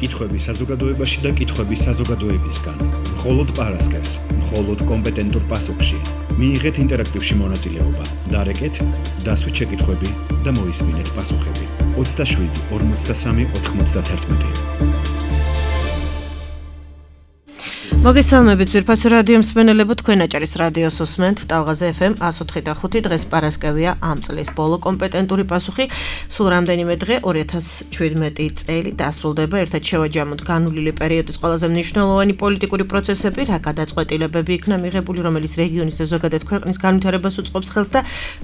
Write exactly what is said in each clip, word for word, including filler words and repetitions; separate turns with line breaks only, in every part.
კითხვები საზოგადოებაში და კითხვები საზოგადოებისგან. მხოლოდ პარასკევს, მხოლოდ კომპეტენტურ პასუხში. მიიღეთ ინტერაქტივში მონაწილეობა. დარეკეთ, დასვით შეკითხვები და მოისმინეთ პასუხები. ოცდაშვიდი ორმოცდასამი ოთხმოცდაათერთმეტი.
მოგესალმებით ძვირფასო რადიო მსმენელებო, თქვენ აჭარის რადიოს უსმენთ ტალღაზე ეფ ემ εκατს ოთხი და ხუთი. დღეს პარასკევია, ამ წლის ბოლო კომპეტენტური პასუხი. სულ რამდენიმე დღე ორი ათას შვიდმეტი წელი დასრულდება. ერთად შევაჯამოთ განვლილი პერიოდის ყველაზე მნიშვნელოვანი პოლიტიკური პროცესები, რა გადაწყვეტილებები იქნა მიღებული, რომელიც რეგიონის და ზოგადად ქვეყნის განვითარებას უწყობს ხელს და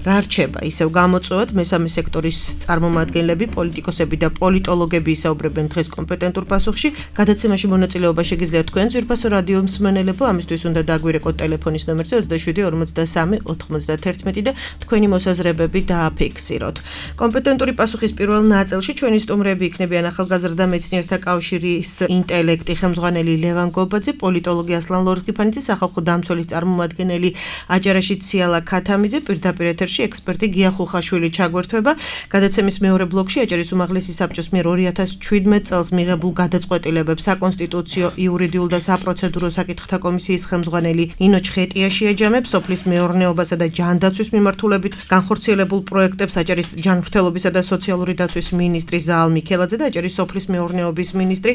რა რჩება. ისევ გამოწვევად მესამე სექტორის წარმომადგენლები, პოლიტიკოსები და პოლიტოლოგები ისაუბრებენ დღეს კომპეტენტურ პასუხში. გადაცემაში მონაწილეობა შეგიძლიათ თქვენ ძვირფასო რადიო მსმენელებო, ამისთვის უნდა დაგვირეკოთ ტელეფონის ნომერზე ოცდაშვიდი ორმოცდასამი ოთხმოცდაათერთმეტი და თქვენი მოსაზრებები დააფიქსიროთ. კომპეტენტური პასუხის პირველ ნაწილში ჩვენი სტუმრები იქნებიან ახალგაზრდა მეცნიერთა კავშირის ინტელექტი ხელმძღვანელი ლევან გობაძე, პოლიტოლოგი ასლან ლორთქიფანიძე, სახალხო დამცველის წარმომადგენელი აჯარაშით სიალა ქათამიძე, პირდაპირ ეთერში ექსპერტი გია ხულხაშვილი ჩაგვერთვება. გადაცემის მეორე ბლოკში აჭარის უმაღლესი საბჭოს მიერ ორი ათას შვიდმეტ წელს მიღებულ გადაწყვეტილებებს საკონსტიტუციო, იურიდიულ და საპროცედურო საკითხთა კომისიის ხელმძღვანელი ნინო ჩხეტია შეაჯამებს, სოფლის მეურნეობასა და ჯანდაცვის მიმართულებით განხორციელებულ პროექტებს აჭარის ჯანმრთელობისა და სოციალური დაცვის მინისტრი ზაალ მიქელაძე და აჭარის სოფლის მეურნეობის მინისტრი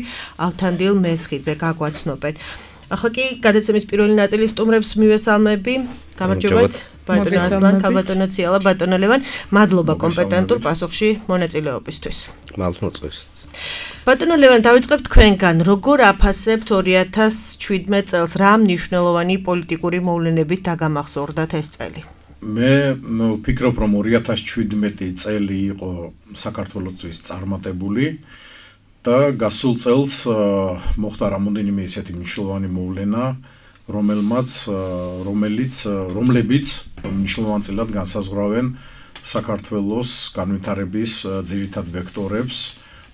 ავთანდილ მესხიძე გაგვაცნობენ. ახლა კი გადაცემის პირველი ნაწილის სტუმრებს მივესალმები. გამარჯობათ. ბატონო ასლან, ბატონო სიალა, ბატონო ლევან, მადლობა კომპეტენტურ პასუხში მონაწილეობისთვის.
მადლობა.
ბატონო ლევან, დავიწყებთ თქვენგან. როგორ აფასებთ ორი ათას შვიდმეტ წელს, რა მნიშვნელოვანი პოლიტიკური მოვლენებით დაგამახსოვრდათ ეს წელი?
მე ვფიქრობ, რომ ორი ათას შვიდმეტი წელი იყო საქართველოსთვის წარმატებული და გასულ წელს მოხდა რამოდენიმე ისეთი მნიშვნელოვანი მოვლენა, რომელმაც რომელიც რომლებიც მნიშვნელოვანწილად განსაზღვრავენ საქართველოს განვითარების ძირითად ვექტორებს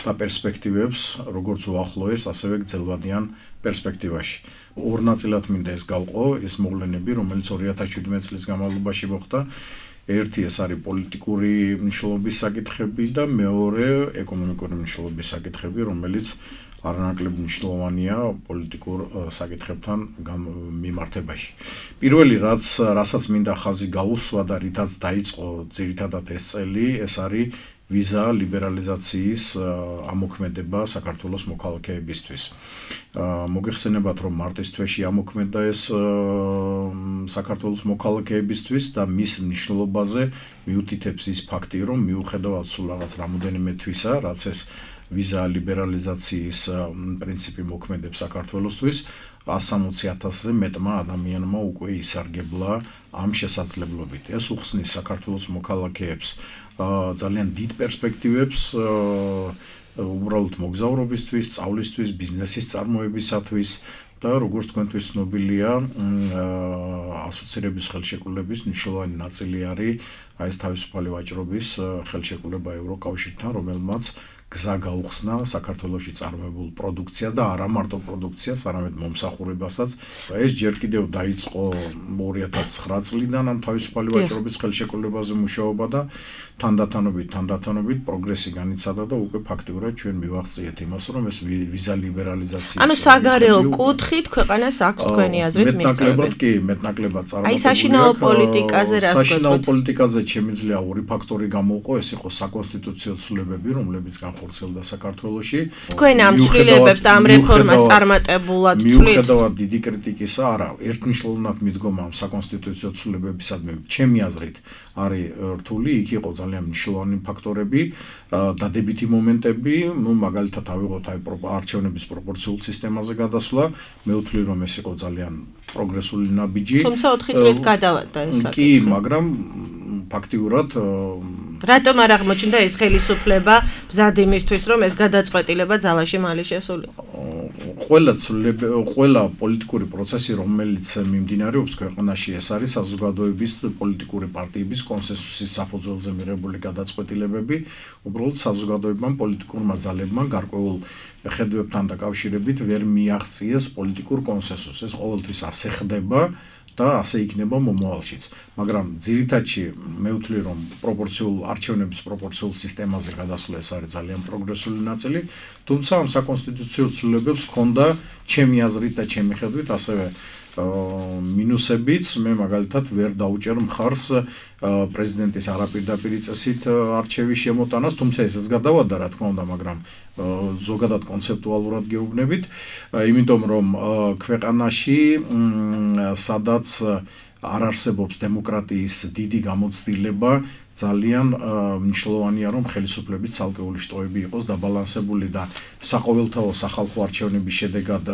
და პერსპექტივებს, როგორც უახლოეს, ასევე გრძელვადიან პერსპექტივაში. ორ ნაწილად მინდა ეს გავყო, ეს მოვლენები, რომელიც ორი ათას შვიდმეტ წლის განმავლობაში მოხდა. ერთი ეს არის პოლიტიკური მნიშვნელობის საკითხები და მეორე ეკონომიკური მნიშვნელობის საკითხები, რომელიც არანაკლებ მნიშვნელოვანია პოლიტიკურ საკითხებთან მიმართებაში. პირველი, რაც რასაც მინდა ხაზი გაუსვა და რითაც დაიწყო ძირითადად ეს წელი, ეს არის ვიზა ლიბერალიზაციის ამოქმედება საქართველოს მოქალაქეებისთვის. მოგეხსენებათ, რომ მარტის თვეში ამოქმედა ეს საქართველოს მოქალაქეებისთვის და მის მნიშვნელობაზე მიუთითებს ის ფაქტი, რომ მიუხედავად სულ რაღაც რამოდენიმე თვისა, რაც ეს ვიზა ლიბერალიზაციის პრინციპი მოქმედებს საქართველოსთვის, ასამოცი ათასზე მეტმა ადამიანმა უკვე ისარგებლა ამ შესაძლებლობით. ეს უხსნის საქართველოს მოქალაქეებს ძალიან დიდ პერსპექტივებს უბრალოდ მოგზაურობისთვის, სწავლისთვის, ბიზნესის წარმოებისათვის და როგორც თქვენთვის ცნობილია, ასოცირების ხელშეკრულების მნიშვნელოვანი ნაწილი არის აი ეს თავისუფალი ვაჭრობის ხელშეკრულება ევროკავშირთან, რომელმაც გზა გაუხსნა საქართველოში წარმოებულ პროდუქციას და არა მარტო პროდუქციას, არამედ მომსახურებასაც. ეს ჯერ კიდევ დაიწყო ორი ათას ცხრა წლიდან ამ თავისუფალი ვაჭრობის ხელშეკრულებაზე მუშაობა და თანდათანობით, თანდათანობით პროგრესი განიცადა და უკვე ფაქტიურად ჩვენ მივაღწიეთ იმას, რომ ეს ვიზა ლიბერალიზაციის
ანუ საგარეო კუთხით ქვეყანას აქვს თქვენი აზრით მიღწევები.
მეტნაკლებად კი, მეტნაკლებად წარმატებული.
აი საშინაო პოლიტიკაზე რას გვეტყოთ?
საშინაო პოლიტიკაზე შემიძლია ორი ფაქტორი გამოვყო, ეს იყო საკონსტიტუციო ცვლილებები, რომლებიც განხორციელდა საქართველოში.
თქვენ ამ ცვლილებებს და ამ რეფორმას წარმატებულად თვლით?
მიუხედავად დიდი კრიტიკისა, არა, ერთმნიშვნელოვნად მიდგომა ამ საკონსტიტუციო ცვლილებებისადმი, ჩემი აზრით, არის რთული, იქ იყო ძალიან მნიშვნელოვანი ფაქტორები, დადებითი მომენტები, ну მაგალითად ავიღოთ აი არჩევნების პროპორციულ სისტემაზე გადასვლა, მე ვთვლი, რომ ეს იყო ძალიან პროგრესული ნაბიჯი.
თუმცა ოთხი წლით გადავადა ეს საკითხი.
კი, მაგრამ ფაქტიურად
რატომ არ აღმოჩნდა ეს ხელისუფლება მზად იმისთვის, რომ ეს გადაწყვეტილება ძალაში მალე შესულიყო?
ყველა ყველა პოლიტიკური პროცესი, რომელიც მიმდინარეობს ქვეყანაში, ეს არის საზოგადოების პოლიტიკური პარტიების კონსენსუსის საფუძველზე მიღებული გადაწყვეტილებები, უბრალოდ საზოგადოებამ პოლიტიკურმა ძალებმა გარკვეულ ხედვებთან დაკავშირებით ვერ მიაღწიეს პოლიტიკურ კონსენსუსს. ეს ყოველთვის ასე ხდება და ასე იქნება მომავალშიც. მაგრამ ძირითადში მე ვთვლი რომ პროპორციულ არჩევნების პროპორციულ სისტემაზე გადასვლა ეს არის ძალიან პროგრესული ნაწილი, თუმცა ამ საკონსტიტუციო ცვლილებებს ჰქონდა ჩემი აზრით და ჩემი ხედვით ასევე მინუსებიც. მე მაგალითად ვერ დაუჭერ მხარს პრეზიდენტის არაპირდაპირი წესით არჩევის შემოტანას, თუმცა ესეც გადავადა რა თქმა უნდა, მაგრამ ზოგადად კონცეპტუალურად გეუბნებით, იმიტომ რომ ქვეყანაში სადაც არ არსებობს დემოკრატიის დიდი გამოცდილება, ძალიან მნიშვნელოვანია რომ ხელისუფლების ცალკეული შტოები იყოს დაბალანსებული და საყოველთაო სახალხო არჩევნების შედეგად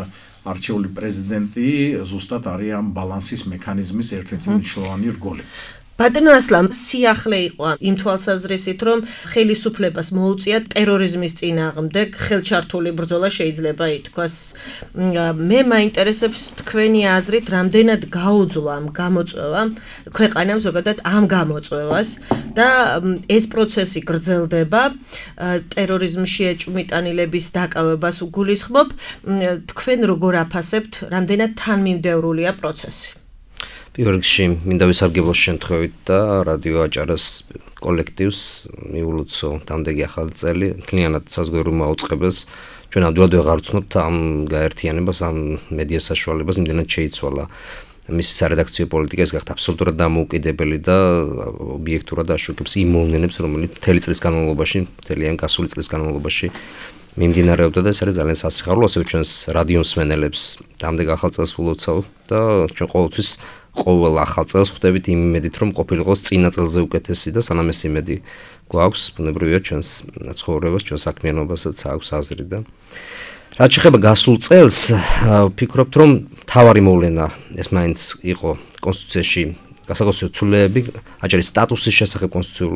არჩეული პრეზიდენტი ზუსტად არის ამ ბალანსის მექანიზმის ერთ-ერთი მნიშვნელოვანი რგოლი.
ბატონო ასლან, სიახლე იყო იმ თვალსაზრისით, რომ ხელისუფლებას მოუწია ტერორიზმის წინააღმდეგ ხელჩართული ბრძოლა შეიძლება ითქვას. მე მაინტერესებს თქვენი აზრით, რამდენად გაუძლა ამ გამოწვევამ ქვეყანამ ზოგადად ამ გამოწვევას და ეს პროცესი გრძელდება, ტერორიზმში ეჭვმიტანილების დაკავებას უგულისხმობ, თქვენ როგორ აფასებთ, რამდენად თანმიმდევრულია პროცესი?
პირველ რიგში მინდა ვისარგებლო შემთხვევით და რადიო აჭარას კოლექტივს მიულოცო დამდეგი ახალი წელი მთლიანად საზღვაო მაუწყებელს ჩვენ ამდენად ვეღარ ვცნობთ ამ გაერთიანებას ამ მედია საშუალებას იმდენად შეიცვალა მისი სარედაქციო პოლიტიკა ეს გახდა აბსოლუტურად დამოუკიდებელი და ობიექტურად აშუქებს იმ მოვლენებს რომელიც მთელი წლის განმავლობაში მთელი ამ გასული წლის განმავლობაში მიმდინარეობდა და ეს არის ძალიან სასიხარულო ასევე ჩვენს რადიო მსმენელებს დამდეგ ახალ წელს ულოცავ და ჩვენ ყოველთვის ყოველ ახალ წელს ხვდებით იმ იმედით რომ ყოფილიყოს წინა წელზე უკეთესი და სანამ ეს იმედი გვაქვს ბუნებრივია ჩვენს ცხოვრებას ჩვენ საქმიანობასაც აქვს აზრი და რაც შეეხება გასულ წელს ვფიქრობთ რომ მთავარი მოვლენა ეს მაინც იყო კონსტიტუციაში გასაკონსტიტუციო ცვლილებები აჭარის სტატუსის შესახებ კონსტიტუციურ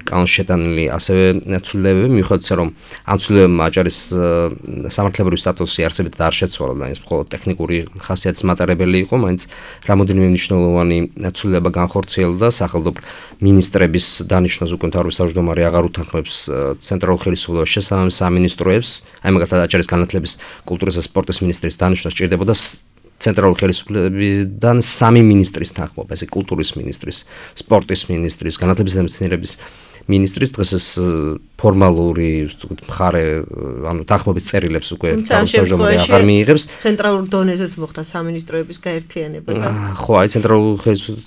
კანონში შეტანილი ასევე ცვლილებები მიუხედავად ისე რომ ამ ცვლილებებმა აჭარის სამართლებრივი სტატუსი არსებითად არ შეცვალა და ის მხოლოდ ტექნიკური ხასიათის მატარებელი იყო მაინც რამოდენიმე მნიშვნელოვანი ცვლილება განხორციელდა სახელმწიფო მინისტრების დანიშვნას უკვე მთავრობის თავმჯდომარე აღარ უთანხმებს ცენტრალურ ხელისუფლებას შესაბამის სამინისტროებს აი მაგალითად აჭარის განათლების კულტურის და სპორტის მინისტრის დანიშვნა სჭირდებოდა ცენტრალურ ხელისუფლებიდან სამი მინისტრის თანხმობა, ესე კულტურის მინისტრის, სპორტის მინისტრის, განათლების და მეცნიერების მინისტრის დღეს ეს ფორმალური მხარე, ანუ თანხმობის წერილებს უკვე თავმჯდომარე აღარ მიიღებს.
ცენტრალურ დონეზეც მოხდა სამინისტროების გაერთიანება და
ხო, აი ცენტრალურ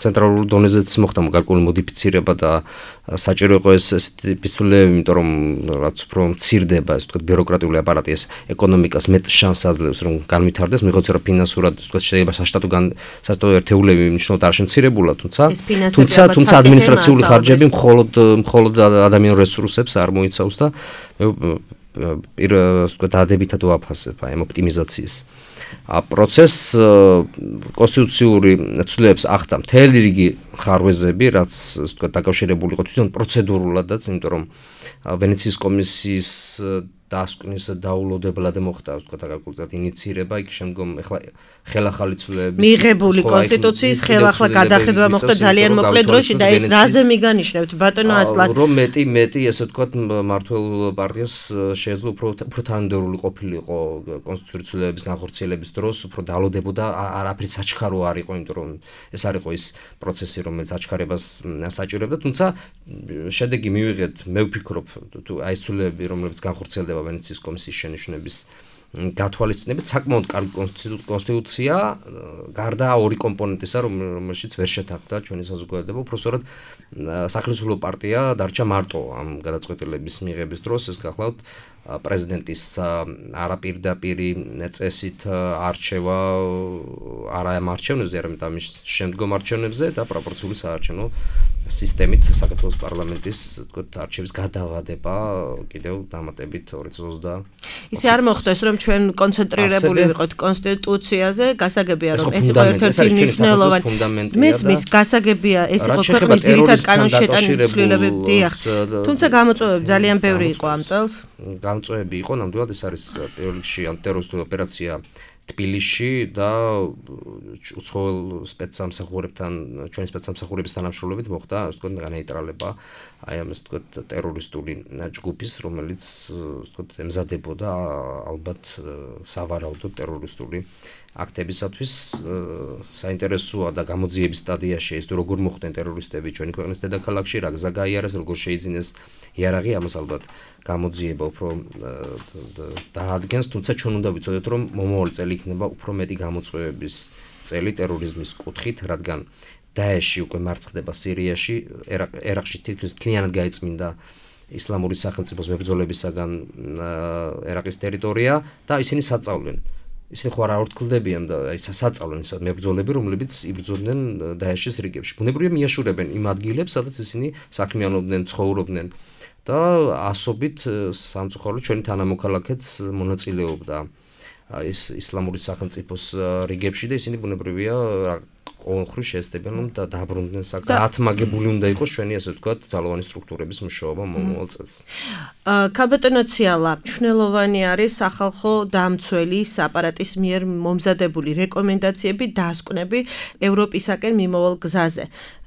ცენტრალურ დონეზეც მოხდა გარკვეული მოდიფიცირება და საჭირო იყო ეს პისტოლები, იმიტომ რომ რაც უფრო მცირდება, ასე ვთქვათ, ბიუროკრატიული აპარატი ეს ეკონომიკას მეტ შანსს აძლევს, რომ განვითარდეს, მიიღოს რა ფინანსურად, ასე ვთქვათ, შეიძლება საშტატო საშტატო ერთეულები მნიშვნელოვნად არ შემცირებულა, თუმცა თუმცა თუმცა ადმინისტრაციული ხარჯები მხოლოდ მხოლოდ ადამიანურ რესურსებს არ მოიცავს და პირ ვთქვათ, დადებითად ვაფასებ აი ამ ოპტიმიზაციის პროცესს კონსტიტუციური ცვლილებებს ახდა მთელი რიგი ხარვეზები, რაც ვთქვათ, დაკავშირებული იყო თვითონ პროცედურულადაც, იმიტომ რომ ვენეციის კომისიის დასკვნის დაულოდებლად მოხდა, ვთქვათ, გარკვეულად ინიცირება, იქ შემდგომ ეხლა ხელახალი ცვლილებების
მიღებული კონსტიტუციის ხელახლა გადახედვა მოხდა ძალიან მოკლე დროში და ეს რაზე მიგანიშნებთ ბატონო ასლან?
რომ მეტი მეტი ესე ვთქვათ მმართველ პარტიას შეეძლო უფრო უფრო თანმიმდევრული ყოფილიყო კონსტიტუციური ცვლილებების განხორციელების დროს, უფრო დალოდებოდა, არაფერი საჩქარო არ იყო, იმიტომ რომ ეს არ იყო ის პროცესი, რომელიც საჩქარებას საჭიროებდა, თუმცა შედეგი მივიღეთ, მე ვფიქრობ, თუ აი ეს ცვლილებები, რომლებიც განხორციელდება ვენეციის კომისიის შენიშვნების გათვალისწინებით საკმაოდ კარგი კონსტიტუცია გარდა ორი კომპონენტისა რომელშიც ვერ შეთანხმდა ჩვენი საზოგადოება უბრალოდ სახელმწიფო პარტია დარჩა მარტო ამ გადაწყვეტილების მიღების დროს ეს გახლავთ პრეზიდენტის არაპირდაპირი წესით არჩევა არა ამ არჩევნებზე არამედ ამის შემდგომ არჩევნებზე და პროპორციული საარჩევნო სისტემით საქართველოს პარლამენტის თქო არჩევის გადავადება კიდევ დამატებით ორი წლის ოცდაათი
ისე არ მოხდეს რომ ჩვენ კონცენტრირებული ვიყოთ კონსტიტუციაზე გასაგებია რომ ეს იყო ერთ-ერთი მნიშვნელოვანი მესმის გასაგებია ეს იყო ქვეყნის ძირითად კანონში შეტანილი ცვლილებები დიახ თუმცა გამოწვევები ძალიან ბევრი იყო ამ წელს
გამოწვევები იყო ნამდვილად ეს არის პირველ რიგში ანტიტერორისტული ოპერაცია თბილისში და უცხოელ სპეცსამსახურებთან, ჩვენი სპეცსამსახურების თანამშრომლობით მოხდა, ასე ვთქვათ, განეიტრალება აი ამ, ასე ვთქვათ, ტერორისტული ჯგუფის, რომელიც, ასე ვთქვათ, ემზადებოდა ალბათ სავარაუდოდ ტერორისტული აქტებისათვის. საინტერესოა და გამოძიების სტადიაში ის თუ როგორ მოხდნენ ტერორისტები ჩვენი ქვეყნის დედაქალაქში, რა გზა გაიარეს, როგორ შეიძინეს იარაღი, ამას ალბათ გამოძიება უფრო დაადგენს, თუმცა ჩვენ უნდა ვიცოდეთ, რომ მომავალი წელი იქნება უფრო მეტი გამოწვევების წელი ტერორიზმის კუთხით, რადგან დაეში უკვე მარცხდება სირიაში, ერაყში თითქმის მთლიანად გაიწმინდა ისლამური სახელმწიფოს მებრძოლებისაგან ერაყის ტერიტორია და ისინი საწავლენ. ისინი ხო არ ურთქლდებიან და აი საწავლენ ის მებრძოლები, რომლებიც იბრძოდნენ დაეშის რიგებში. ბუნებრივია მიაშურებენ იმ ადგილებს, სადაც ისინი საქმიანობდნენ, ცხოვრობდნენ და ასობით სამწუხაროდ ჩვენი თანამოქალაქეც მონაწილეობდა ის ისლამური სახელმწიფოს რიგებში და ისინი ბუნებრივია ყოველხრივ შეესწებიან რომ დააბრუნდნენ საკ ათმაგებული უნდა იყოს ჩვენი ასე ვთქვათ ძალოვანი სტრუქტურების მუშაობა მომავალ წელს.
ქალბატონო ციალა, მნიშვნელოვანი არის სახალხო დამცველის აპარატის მიერ მომზადებული რეკომენდაციები, დასკვნები ევროპისაკენ მიმავალ გზაზე.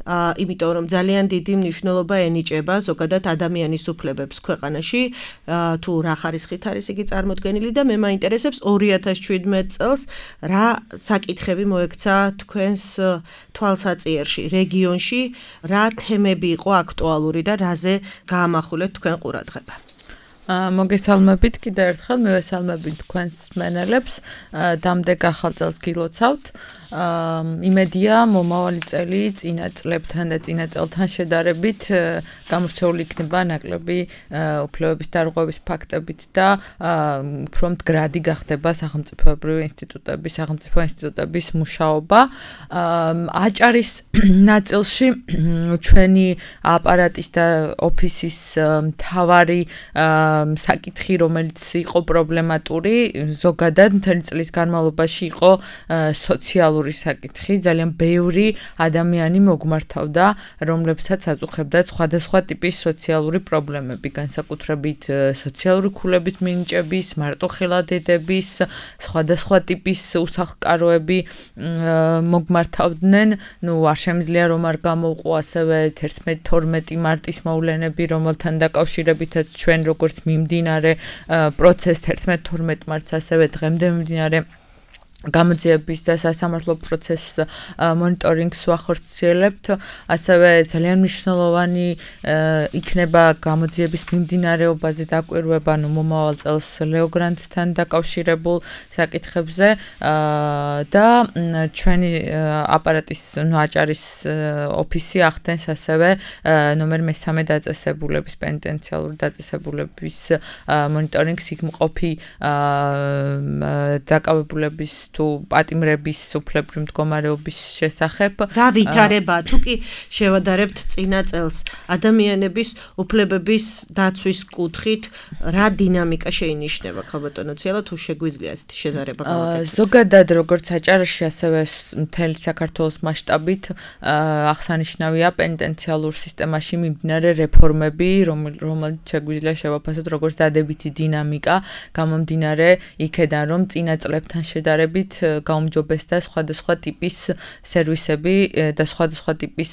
იმიტომ რომ ძალიან დიდი მნიშვნელობა ენიჭება ზოგადად ადამიანის უფლებებს ქვეყანაში, თუ რა ხარისხით არის იგი წარმოდგენილი და მე მაინტერესებს ორი ათას შვიდმეტ წელს რა საკითხები მოექცა თქვენს თვალსაწიერში, რეგიონში, რა თემები იყო აქტუალური და რაზე გაამახვილეთ თქვენ ყურადღება.
მოგესალმებით კიდევ ერთხელ, მივესალმებით თქვენს მენელებს, დამდეგ ახალ წელს გილოცავთ. იმედია მომავალი წელი წინა წლებთან და წინა წელთან შედარებით გამორჩეული იქნება ნაკლები უფლებების დარღვევის ფაქტებით და უფრო მდგრადი გახდება სახელმწიფოებრივი ინსტიტუტების, სახელმწიფო ინსტიტუტების მუშაობა. აჭარის ნაწილში ჩვენი აპარატის და ოფისის მთავარი საკითხი, რომელიც იყო პრობლემატური, ზოგადად მთელი წლის განმავლობაში იყო სოციალური საკითხი, ძალიან ბევრი ადამიანი მოგმართავდა, რომლებსაც აწუხებდა სხვადასხვა ტიპის სოციალური პრობლემები, განსაკუთრებით სოციალური ქულების მინიჭების, მარტოხელა-დედების, სხვადასხვა ტიპის უსახლკაროები მოგმართავდნენ. ნუ არ შემიძლია რომ არ გამოვყო ასევე ერთმეტი თორმეტი მარტის მოვლენები, რომელთან დაკავშირებითაც ჩვენ როგორც მიმდინარე პროცესს ერთმეტ თორმეტ მარტს ასევე დღემდე მიმდინარე გამოძიების და სასამართლო პროცესს მონიტორინგს ვახორციელებთ, ასევე ძალიან მნიშვნელოვანი იქნება გამოძიების მიმდინარეობაზე დაკვირვება, ნუ მომავალ წელს ლეოგრანტთან დაკავშირებულ საკითხებზე და ჩვენი აპარატის, ნუ აჭარის ოფისი ახდენს ასევე ნომერ მესამე დაწესებულების, პენიტენციალური დაწესებულების მონიტორინგს, იქ მყოფი დაკავებულების თუ პატიმრების უფლებრივი მდგომარეობის შესახებ.
რა ვითარება, თუ კი შევადარებთ წინა წელს ადამიანების უფლებების დაცვის კუთხით, რა დინამიკა შეინიშნება, ქალბატონო ციალა, თუ შეგვიძლია ესეთი შედარება გავაკეთოთ?
ზოგადად როგორც აჭარაში, ასევე მთელი საქართველოს მასშტაბით აღსანიშნავია პენიტენციალურ სისტემაში მიმდინარე რეფორმები, რომელიც შეგვიძლია შევაფასოთ როგორც დადებითი დინამიკა, გამომდინარე იქედან, რომ წინა წლებთან შედარებით გაუმჯობესდა სხვადასხვა ტიპის სერვისები და სხვადასხვა ტიპის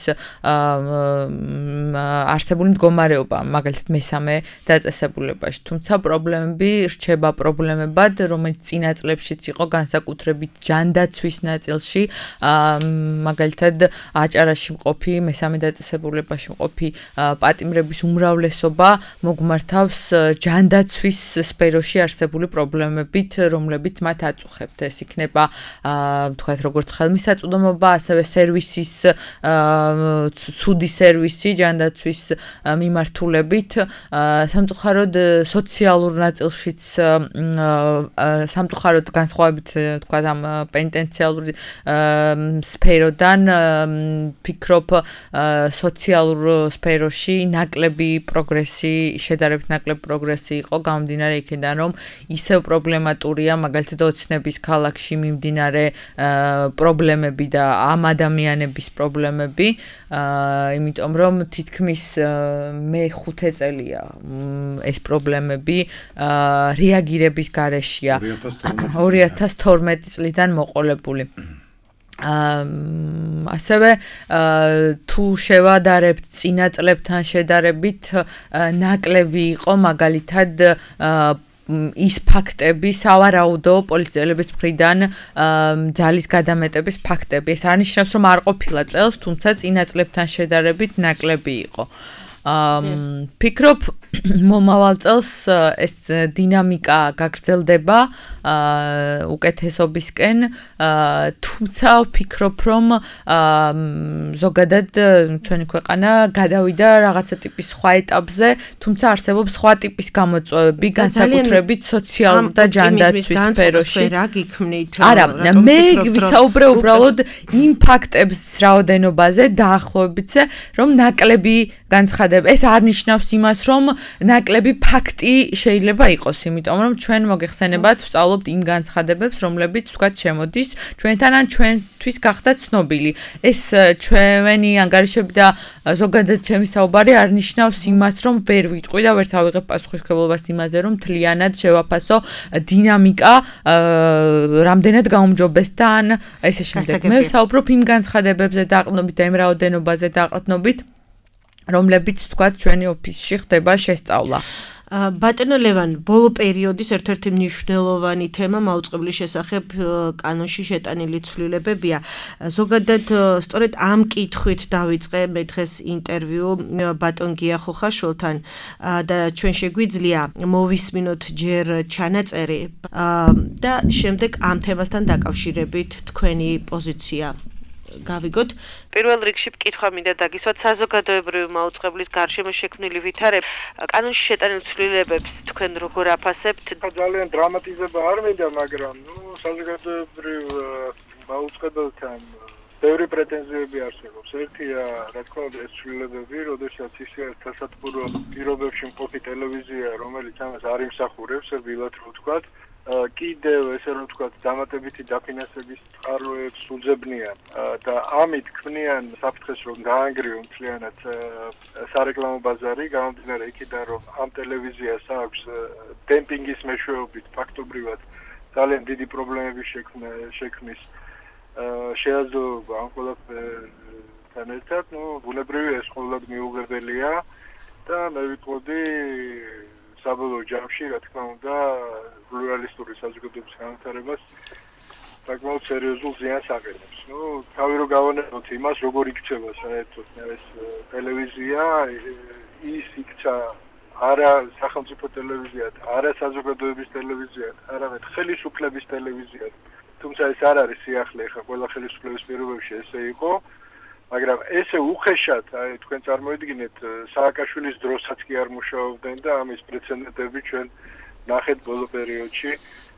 არსებული მდგომარეობა, მაგალითად მესამე დაწესებულებაში. თუმცა პრობლემები რჩება პრობლემებად, რომელიც წინა წლებშიც იყო განსაკუთრებით ჯანდაცვის ნაწილში, მაგალითად აჭარაში მყოფი მესამე დაწესებულებაში მყოფი პატიმრების უმრავლესობა მოგმართავს ჯანდაცვის სფეროში არსებული პრობლემებით, რომლებიც მათ აწუხებთ. ეს იქნება თქვათ როგორც ხელმისაწვდომობა, ასევე სერვისის ცუდი სერვისი ჯანდაცვის მიმართულებით, სამწუხაროდ სოციალურ ნაწილშიც სამწუხაროდ განსხვავებით თქვათ ამ პენიტენციალური სფეროდან ფიქრობ სოციალურ სფეროში ნაკლები პროგრესი, შედარებით ნაკლები პროგრესი იყო გამომდინარე იქედან, რომ ისევ პრობლემატურია მაგალითად ოცნების ქალაქში ქვეყანაში მიმდინარე პრობლემები და ამ ადამიანების პრობლემები, იმიტომ რომ თითქმის მეხუთე წელია ეს პრობლემები რეაგირების გარეშეა ორი ათას თორმეტი წლიდან მოყოლებული. ასევე თუ შევადარებთ წინა წლებთან შედარებით ნაკლები იყო მაგალითად ის ფაქტები, სავარაუდო პოლიციელების მხრიდან ძალის გადამეტების ფაქტები. ეს არნიშნავს, რომ არ ყოფილა წელს, თუმცა წინა წლებთან შედარებით ნაკლები იყო. ფიქრობ მომავალ წელს ეს დინამიკა გაგრძელდება უკეთესობისკენ, თუმცა ვფიქრობ, რომ ზოგადად ჩვენი ქვეყანა გადავიდა რაღაცა ტიპის სხვა ეტაპზე, თუმცა არსებობს სხვა ტიპის გამოწვევები, განსაკუთრებით სოციალურ და ჯანდაცვის სფეროში.
რა გიქმნით?
არა, მე ვისაუბრე უბრალოდ იმ ფაქტების რაოდენობაზე დაახლოებითზე, რომ ნაკლები განცხადება. ეს არ ნიშნავს იმას, რომ ნაკლები ფაქტი შეიძლება იყოს, იმიტომ რომ ჩვენ მოგეხსენებათ, ვსწავლობთ იმ განცხადებებს, რომლებიც თქვათ შემოდის ჩვენთან ან ჩვენთვის გახდა ცნობილი. ეს ჩვენი ანგარიშები და ზოგადად ჩემი საუბარი არ ნიშნავს იმას, რომ ვერ ვიტყვი და ვერც ავიღებ პასუხისმგებლობას იმაზე, რომ მთლიანად შევაფასო დინამიკა რამდენად გაუმჯობესდა ან ესე შემდეგ. მე ვსაუბრობ იმ განცხადებებზე დაყრდნობით და იმ რაოდენობაზე დაყრდნობით, რომლებიც თქვა ჩვენი ოფისში ხდება შესწავლა.
ბატონო ლევან, ბოლო პერიოდის ერთ-ერთი მნიშვნელოვანი თემა მაუწყებლის შესახებ კანონში შეტანილი ცვლილებებია. ზოგადად სწორედ ამ კითხვით დავიწყე მე დღეს ინტერვიუ ბატონ გია ხოხაშვილთან და ჩვენ შეგვიძლია მოვისმინოთ ჯერ ჩანაწერი და შემდეგ ამ თემასთან დაკავშირებით თქვენი პოზიცია გავიგოთ. პირველ რიგში კითხვა მინდა დაგისვათ საზოგადოებრივი მაუწყებლის გარშემო შექმნილი ვითარება. კანონში შეტანილ ცვლილებებს თქვენ როგორ აფასებთ?
ძალიან დრამატიზება არ მინდა, მაგრამ ნუ საზოგადოებრივ მაუწყებელთან ბევრი პრეტენზიები არსებობს. ერთია, რა თქმა უნდა, ეს ცვლილებები, როდესაც ისე სასათბურო პირობებში მყოფი ტელევიზია, რომელიც ამას არ იმსახურებს, რბილად რო ვთქვათ, კიდევ ესე რომ ვთქვათ, დამატებითი დაფინანსების წყაროებს უძებნიან და ამით ქმნიან საფრთხეს, რომ დაანგრიონ მთლიანად სარეკლამო ბაზარი, გამომდინარე იქიდან, რომ ამ ტელევიზიას აქვს დემპინგის მეშვეობით ფაქტობრივად ძალიან დიდი პრობლემები შექმნის შეაძლოება ამ ყველაფერთან ერთად, ნუ ბუნებრივია ეს ყოველად მიუღებელია და მე ვიტყოდი საბოლოო ჯამში, რა თქმა უნდა, პლურალისტური საზოგადოების განვითარებას საკმაოდ სერიოზულ ზიანს აყენებს. ნუ თავი რო გავანებოთ იმას, როგორ იქცევა საერთოდ ეს ტელევიზია, ის იქცა არა სახელმწიფო ტელევიზიად, არა საზოგადოების ტელევიზიად, არამედ ხელისუფლების ტელევიზიად. თუმცა ეს არ არის სიახლე, ხა ყველა ხელისუფლების პირობებში ესე იყო. მაგრამ ესე უხეშად, აი თქვენ წარმოიდგინეთ, სააკაშვილის დროსაც კი არ მუშაობდნენ და ამის პრეცედენტები ჩვენ ნახეთ ბოლო პერიოდში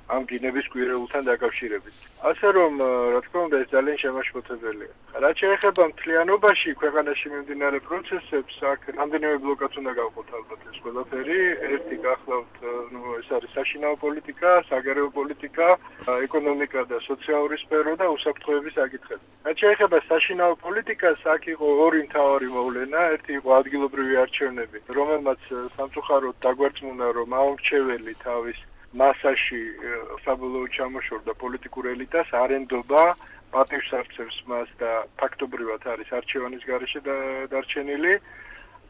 ამ გინების კვირეულთან დაკავშირებით. ასე რომ, რა თქმა უნდა, ეს ძალიან შემაშფოთებელია. რაც შეეხება მთლიანობაში ქვეყანაში მიმდინარე პროცესებს, აქ რამდენიმე ბლოკად უნდა გავყოთ ალბათ ეს ყველაფერი. ერთი გახლავთ, ნუ ეს არის საშინაო პოლიტიკა, საგარეო პოლიტიკა, ეკონომიკა და სოციალური სფერო და უსაფრთხოების საკითხები. რაც შეეხება საშინაო პოლიტიკას, აქ იყო ორი მთავარი მოვლენა, ერთი იყო ადგილობრივი არჩევნები, რომელმაც სამწუხაროდ დაგვერწმუნა, რომ აუმრჩეველი თავის მასაში საბოლოოდ ჩამოშორდა პოლიტიკურ ელიტას, არენდობა პატივს არცევს მას და ფაქტობრივად არის არჩევანის გარეშე დარჩენილი.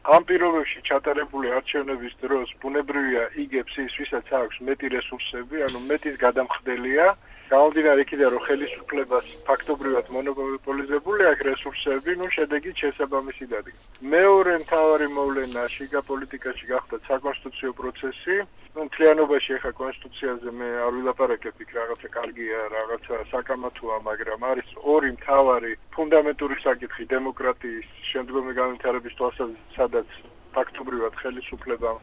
ამ პირობებში ჩატარებული არჩევნების დროს ბუნებრივია იგებს ის, ვისაც აქვს მეტი რესურსები, ანუ მეტის გადამხდელია. გამომდინარე იქიდან, რომ ხელისუფლებას ფაქტობრივად მონოპოლიზებული აქვს რესურსები, ნუ შედეგით შესაბამისი დადგა. მეორე მთავარი მოვლენა შიგა პოლიტიკაში გახდა საკონსტიტუციო პროცესი. ნუ მთლიანობაში ახლა კონსტიტუციაზე მე არ ვილაპარაკებ, იქ რაღაცა კარგია, რაღაცა საკამათოა, მაგრამ არის ორი მთავარი ფუნდამენტური საკითხი დემოკრატიის შემდგომი განვითარების თვალსაზრისით, სადაც ფაქტობრივად ხელისუფლებამ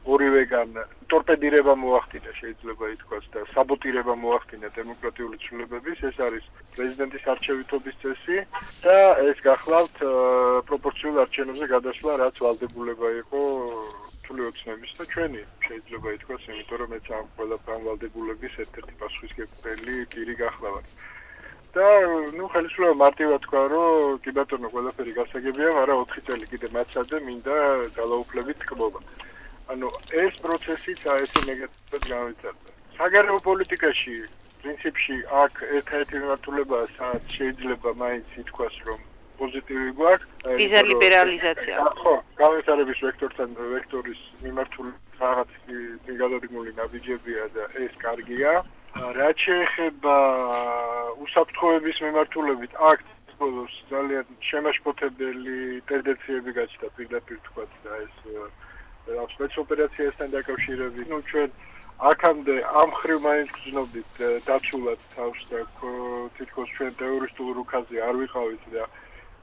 ორივეგან ტორპედირება მოახდინა, შეიძლება ითქვას, და საბოტირება მოახდინა დემოკრატიული ცვლილებების. ეს არის პრეზიდენტის არჩევითობის წესი და ეს გახლავთ პროპორციულ არჩევნებზე გადასვლა, რაც ვალდებულება იყო სრული ოცნების და ჩვენი შეიძლება ითქვას, იმიტომ რომ მეც ამ ყველა განვალდებულების ერთ-ერთი პასუხისმგებელი პირი გახლავართ. და ნუ ხელისუფლება მარტივად თქვა, რომ კი ბატონო, ყველაფერი გასაგებია, მაგრამ ოთხი წელი კიდე მაცადე, მინდა ძალაუფლებით თქმობა. ანუ ეს პროცესიც აი ესე ნეგატიურად გავიწევდა. საგარეო პოლიტიკაში პრინციპში აქ ერთ-ერთი მიმართულებაა, სადაც შეიძლება მაინც ითქვას, რომ პოზიტივი გვაქვს.
ვიზა ლიბერალიზაცია.
ხო, განვითარების ვექტორთან ვექტორის მიმართულებით რაღაც გადადგმული ნაბიჯებია და ეს კარგია. რაც შეეხება უსაფრთხოების მიმართულებით აქ ბოლოს ძალიან შემაშფოთებელი ტენდენციები გაჩნდა პირდაპირ თქვათ და ეს სპეცოპერაციასთან დაკავშირებით. ნუ ჩვენ აქამდე ამ ხრივ მაინც გრძნობდით დაცულად თავს და თითქოს ჩვენ თეორისტულ რუკაზე არ ვიყავით და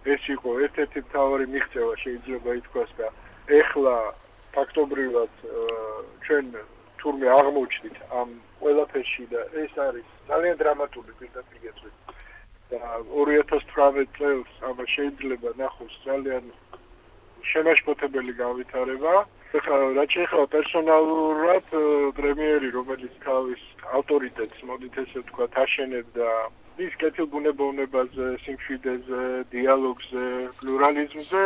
ეს იყო ერთ-ერთი მთავარი მიღწევა შეიძლება ითქვას და ეხლა ფაქტობრივად ჩვენ თურმე აღმოჩნდით ამ ყველაფერში და ეს არის ძალიან დრამატული პირდაპირ გეტყვით და ორი ათას თვრამეტ წელს ამას შეიძლება ნახოს ძალიან შემაშფოთებელი განვითარება. ეხლა რაც შეეხება პერსონალურად პრემიერი რომელიც თავის ავტორიტეტს მოდით ესე ვთქვათ აშენებდა ის კეთილგუნებოვნებაზე, სიმშვიდეზე, დიალოგზე, პლურალიზმზე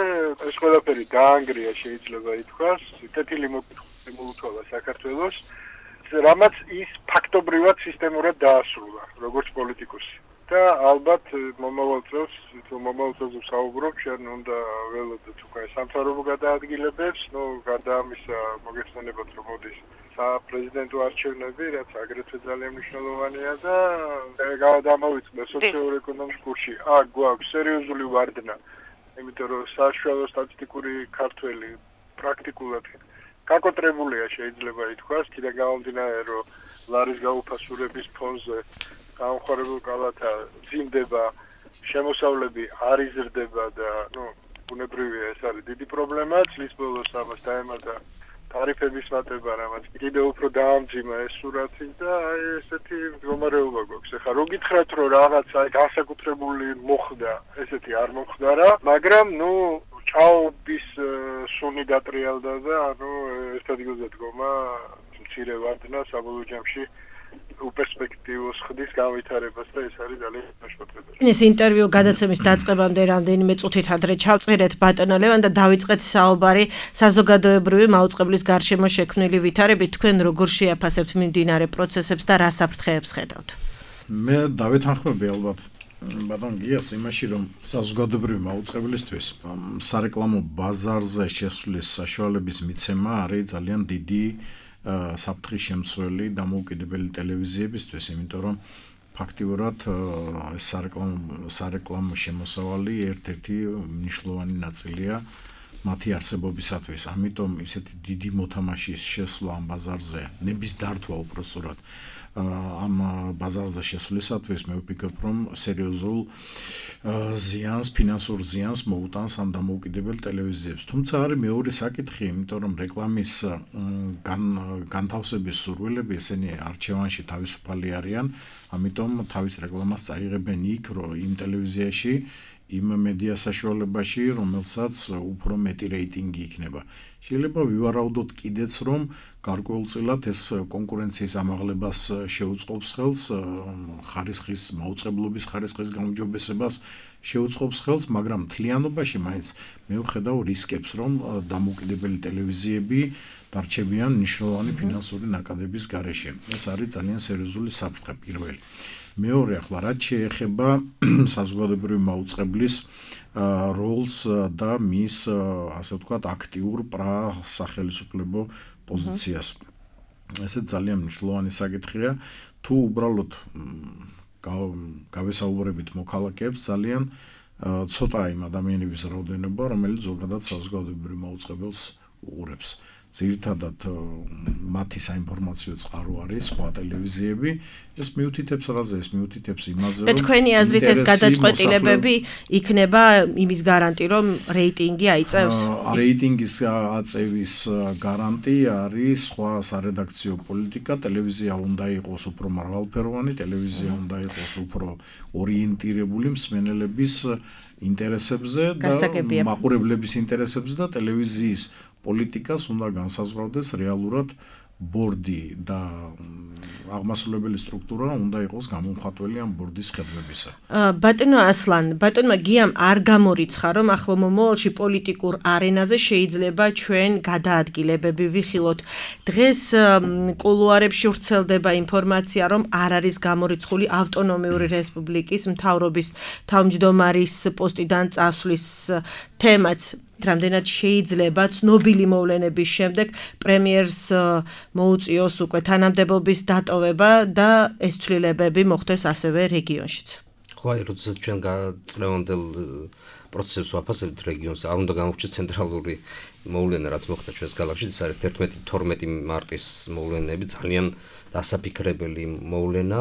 ეს ყველაფერი დაანგრია შეიძლება ითქვას, კეთილი მოკითხვა მოუთვალა საქართველოს, რამაც ის ფაქტობრივად სისტემურად დაასრულა, როგორც პოლიტიკოსი. და ალბათ მომავალ წელს, თუ მომავალ წელს ვსაუბრობ, ჩვენ უნდა ველოდოთ უკვე სამთავრობო გადაადგილებებს, ნუ გარდა ამისა მოგეხსენებათ, რომ მოდის საპრეზიდენტო არჩევნები, რაც აგრეთვე ძალიან მნიშვნელოვანია და გადამოვიწყდა სოციო-ეკონომიკურ კურსში. აქ გვაქვს სერიოზული ვარდნა, იმიტომ რომ საშუალო სტატისტიკური ქართველი პრაქტიკულად გაკოტრებულია შეიძლება ითქვას, კიდე გამომდინარე, რომ ლარის გაუფასურების ფონზე გამხარებულ კალათა ძიმდება, შემოსავლები არ იზრდება და ნუ ბუნებრივია ეს არის დიდი პრობლემა, წლის ბოლოს ამას დაემატა ტარიფების მატება, რამაც კიდევ უფრო დაამძიმა ეს სურათი და აი ესეთი მდგომარეობა გვაქვს. ეხლა რო გითხრათ, რომ რაღაც აი განსაკუთრებული მოხდა, ესეთი არ მოხდარა, მაგრამ ნუ ჭაობის სუნი დატრიალდა და ანუ ერთად გზადგომა მცირე ვარდნა საბოლოო ჯამში უპერსპექტივოს ხდის განვითარებას და ეს არის ძალიან შემაშფოთებელი.
ეს ინტერვიუ გადაცემის დაწყებამდე რამდენიმე წუთით ადრე ჩავწერეთ ბატონო ლევან და დავიწყეთ საუბარი საზოგადოებრივი მაუწყებლის გარშემო შექმნილი ვითარებით. თქვენ როგორ შეაფასებთ მიმდინარე პროცესებს და რა საფრთხეებს ხედავთ?
მე დავეთანხმები ალბათ ბატონ გიას იმაში, რომ საზოგადოებრივი მაუწყებლისთვის სარეკლამო ბაზარზე შესვლის საშუალების მიცემა არის ძალიან დიდი საფრთხის შემცველი დამოუკიდებელი ტელევიზიებისთვის, იმიტომ რომ ფაქტიურად ეს სარეკლამო სარეკლამო შემოსავალი ერთ-ერთი მნიშვნელოვანი ნაწილია მათი არსებობისათვის. ამიტომ ისეთი დიდი მოთამაშის შესვლა ამ ბაზარზე, ნების დართვა უпроსტად ამ ბაზარზე შესვლისათვის მე ვფიქრობ, რომ სერიოზულ ზიანს, ფინანსურ ზიანს მოუტანს ამ დამოუკიდებელ ტელევიზიებს. თუმცა არის მეორე საკითხი, იმიტომ რომ რეკლამის განთავსების სურვილები ესენი არჩევანში თავისუფალი არიან, ამიტომ თავის რეკლამას წაიღებენ იქ, რომ იმ ტელევიზიაში იმ მედია საშუალებაში, რომელსაც უფრო მეტი რეიტინგი იქნება. შეიძლება ვივარაუდოთ კიდეც, რომ გარკვეულწილად ეს კონკურენციის ამაღლებას შეუწყობს ხელს, ხარისხის მაუწყებლობის ხარისხის გაუმჯობესებას შეუწყობს ხელს, მაგრამ მთლიანობაში მაინც მე ვხედავ რისკებს, რომ დამოუკიდებელი ტელევიზიები დარჩებიან მნიშვნელოვანი ფინანსური ნაკადების გარეშე. ეს არის ძალიან სერიოზული საფრთხე პირველი. მეორე ახლა რაც შეეხება საზოგადოებრივი მაუწყებლის როლს და მის ასე ვთქვათ აქტიურ პრასახელისუფლებო პოზიციას. ესე ძალიან მნიშვნელოვანი საკითხია, თუ უბრალოდ გავესაუბრებით მოქალაქეებს, ძალიან ცოტა იმ ადამიანების რაოდენობა, რომელიც ზოგადად საზოგადოებრივ მაუწყებელს უყურებს. ძირითადად მათი საინფორმაციო წყარო არის სხვა ტელევიზიები, ეს მიუთითებს რაზე, ეს მიუთითებს იმაზე, რომ
და თქვენი აზრით ეს გადაწყვეტილებები იქნება იმის გარანტი, რომ რეიტინგი აიწევს?
რეიტინგის აწევის გარანტი არის სხვა სარედაქციო პოლიტიკა, ტელევიზია უნდა იყოს უფრო მრავალფეროვანი, ტელევიზია უნდა იყოს უფრო ორიენტირებული მსმენელების ინტერესებზე და მაყურებლების ინტერესებზე და ტელევიზიის პოლიტიკას უნდა განსაზღვრავდეს რეალურად ბორდი და აღმასრულებელი სტრუქტურა უნდა იყოს გამომხატველი ამ ბორდის ხედვებისა.
ბატონო ასლან, ბატონმა გიამ არ გამორიცხა, რომ ახლო მომავალში პოლიტიკურ არენაზე შეიძლება ჩვენ გადაადგილებები ვიხილოთ. დღეს კულუარებში ვრცელდება ინფორმაცია, რომ არ არის გამორიცხული ავტონომიური რესპუბლიკის მთავრობის თავმჯდომარის პოსტიდან წასვლის თემაც. რამდენად შეიძლება ცნობილი მოვლენების შემდეგ პრემიერს მოუწიოს უკვე თანამდებობის დატოვება და ეს ცვლილებები მოხდეს ასევე რეგიონშიც.
ხო, აი, როდესაც ჩვენ წლევანდელ პროცესებს ვაფასებთ რეგიონს, არ უნდა გამოვჩეს ცენტრალური მოვლენა, რაც მოხდა ჩვენს ქალაქში, ეს არის ერთმეტი თორმეტი მარტის მოვლენები, ძალიან დასაფიქრებელი მოვლენა.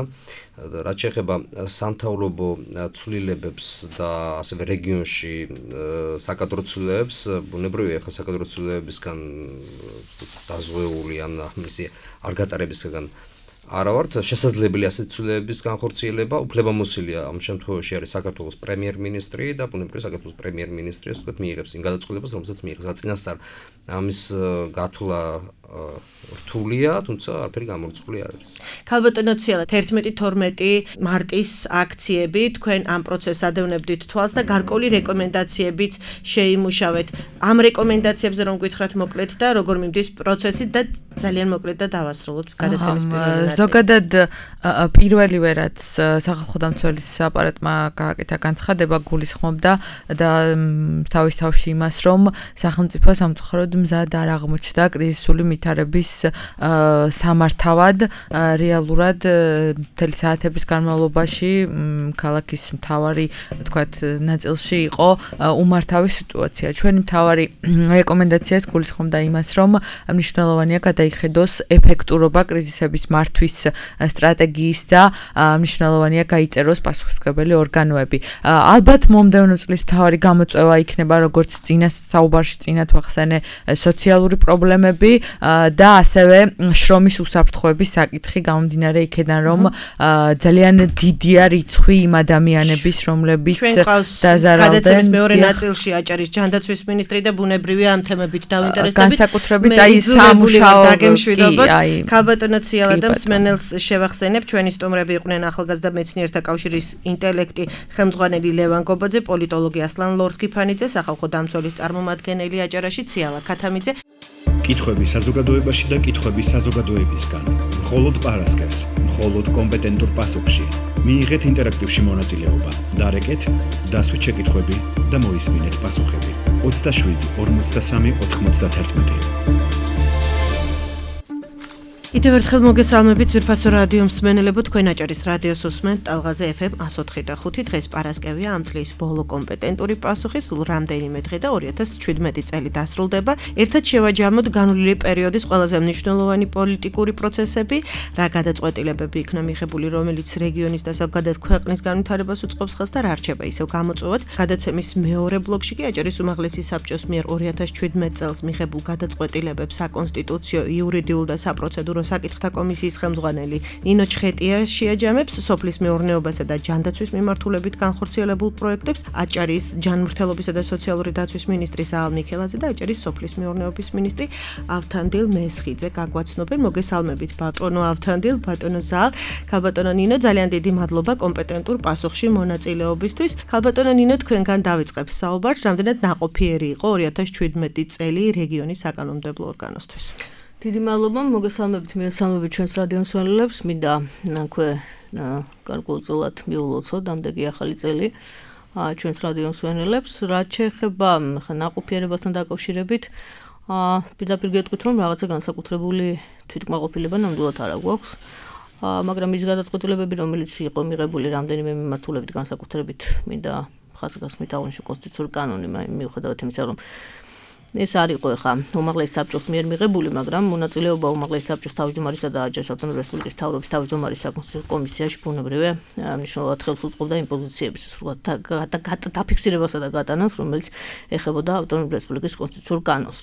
რაც შეეხება სამთავრობო ცვლილებებს და ასევე რეგიონში საკადრო ცვლილებებს, ბუნებრივია ახლა საკადრო ცვლილებებისგან დაზღვეული ან მისი არ გატარებისგან არა ვართ, შესაძლებელი ასეთი ცვლილებების განხორციელება, უფლებამოსილია ამ შემთხვევაში არის საქართველოს პრემიერ-მინისტრი და ბუნებრივია საქართველოს პრემიერ-მინისტრი ასე ვთქვათ მიიღებს იმ გადაწყვეტილებას, რომელსაც მიიღებს. წინასწარ ამის გათვლა რთულია, თუმცა არაფერი გამორიცხული არ არის.
ქალბატონო ციალა, თერთმეტი თორმეტი მარტის აქციები, თქვენ ამ პროცესს ადევნებდით თვალს და გარკვეული რეკომენდაციებიც შეიმუშავეთ. ამ რეკომენდაციებზე რომ გითხრათ მოკლედ და როგორ მიმდის პროცესი და ძალიან მოკლედ და დავასრულოთ გადაცემის პირველი ნაწილი.
ზოგადად პირველივე რაც სახალხო დამცველის აპარატმა გააკეთა განცხადება გულისხმობდა და თავის თავში იმას, რომ სახელმწიფო სამწუხაროდ მზად არ აღმოჩნდა კრიზისული ვითარების სამართავად რეალურად მთელი საათების განმავლობაში ქალაქის მთავარი თქვათ ნაწილში იყო უმართავი სიტუაცია. ჩვენი მთავარი რეკომენდაციას გულისხმობდა იმას, რომ მნიშვნელოვანია გადაიხედოს ეფექტურობა კრიზისების მართვის სტრატეგიის და მნიშვნელოვანია გაიწეროს პასუხისმგებელი ორგანოები. ალბათ მომდევნო წლის მთავარი გამოწვევა იქნება როგორც წინა საუბარში წინათ ვახსენე სოციალური პრობლემები და ასევე შრომის უსაფრთხოების საკითხი გამომდინარე იქედან რომ ძალიან დიდია რიცხვი იმ ადამიანების რომლებიც დაზარალდნენ.
გადაცემის მეორე ნაწილში აჭარის ჯანდაცვის მინისტრი და ბუნებრივია ამ თემებით დაინტერესდებით.
განსაკუთრებით აი სამუშაო
დაგემშვიდობოთ. ქალბატონო ციალა და მსმენელს შევახსენებ, ჩვენი სტუმრები იყვნენ ახალგაზრდა მეცნიერთა კავშირის ინტელექტი ხელმძღვანელი ლევან გობაძე, პოლიტოლოგი ასლან ლორთქიფანიძე, სახალხო დამცველის წარმომადგენელი აჭარაში ციალა ქათამიძე.
კითხვები საზოგადოებაში და კითხვები საზოგადოებისგან. მხოლოდ პარასკევს, მხოლოდ კომპეტენტურ პასუხში. მიიღეთ ინტერაქტივში მონაწილეობა. დარეკეთ, დასვით შეკითხვები და მოისმინეთ პასუხები. ოცდაშვიდი ორმოცდასამი ოთხმოცდაათერთმეტი.
კიდევ ერთხელ მოგესალმებით ძვირფასო რადიო მსმენელებო, თქვენ აჭარის რადიოს უსმენთ ტალღაზე ეფ ემ εκατო ოთხი და ხუთი. დღეს პარასკევია, ამ წლის ბოლო კომპეტენტური პასუხი სულ რამდენიმე დღე და ორი ათას შვიდმეტი წელი დასრულდება. ერთად შევაჯამოთ განვლილი პერიოდის ყველაზე მნიშვნელოვანი პოლიტიკური პროცესები, რა გადაწყვეტილებები იქნა მიღებული, რომელიც რეგიონის და ზოგადად ქვეყნის განვითარებას უწყობს ხელს და რა რჩება ისევ გამოწვევად. გადაცემის მეორე ბლოკში კი აჭარის უმაღლესი საბჭოს მიერ ორი ათას შვიდმეტ წელს მიღებულ გადაწყვეტილებებს საკონსტიტუციო, იურიდიულ და საპროცედურო საკითხთა კომისიის ხელმძღვანელი ნინო ჩხეტია შეაჯამებს სოფლის მეურნეობასა და ჯანდაცვის მიმართულებით განხორციელებულ პროექტებს. აჭარის ჯანმრთელობისა და სოციალური დაცვის მინისტრი საალ მიქელაძე და აჭარის სოფლის მეურნეობის მინისტრი ავთანდილ მესხიძე გაგვაცნობენ. მოგესალმებით ბატონო ავთანდილ, ბატონო საალ, ქალბატონო ნინო, ძალიან დიდი მადლობა კომპეტენტურ პასუხში მონაწილეობისთვის. ქალბატონო ნინო, თქვენგან დავიწყებ საუბარს, რამდენად ნაყოფიერი იყო ორი ათას შვიდმეტი წელი რეგიონის საკანონმდებლო ორგანოსთვის.
დიდი მადლობა, მოგესალმებით, მიესალმებით ჩვენს რადიო მსმენელებს, მინდა აქვე გარკვეულწილად მიულოცოთ ამდენი ახალი წელი ჩვენს რადიო მსმენელებს. რაც შეეხება ნაყოფიერებასთან დაკავშირებით, პირდაპირ გეტყვით, რომ რაღაცა განსაკუთრებული თვითკმაყოფილება ნამდვილად არ აქვს, მაგრამ ის გადაწყვეტილებები, რომელიც იყო მიღებული რამდენიმე მიმართულებით განსაკუთრებით, მინდა ხაზგასმით აღნიშნო კონსტიტუციური კანონი, მიუხედავად იმისა, რომ ეს არ იყო ხა უმაღლეს საბჭოს მიერ მიღებული, მაგრამ მონაწილეობა უმაღლეს საბჭოს თავმჯდომარისა და აჭარის ავტონომიური რესპუბლიკის მთავრობის თავმჯდომარის საკონსტიტუციო კომისიაში ბუნებრივია მნიშვნელოვნად ხელს უწყობდა იმ პოზიციების სრულად დაფიქსირებასა და გატანას, რომელიც ეხებოდა ავტონომიური რესპუბლიკის კონსტიტუციურ კანონს.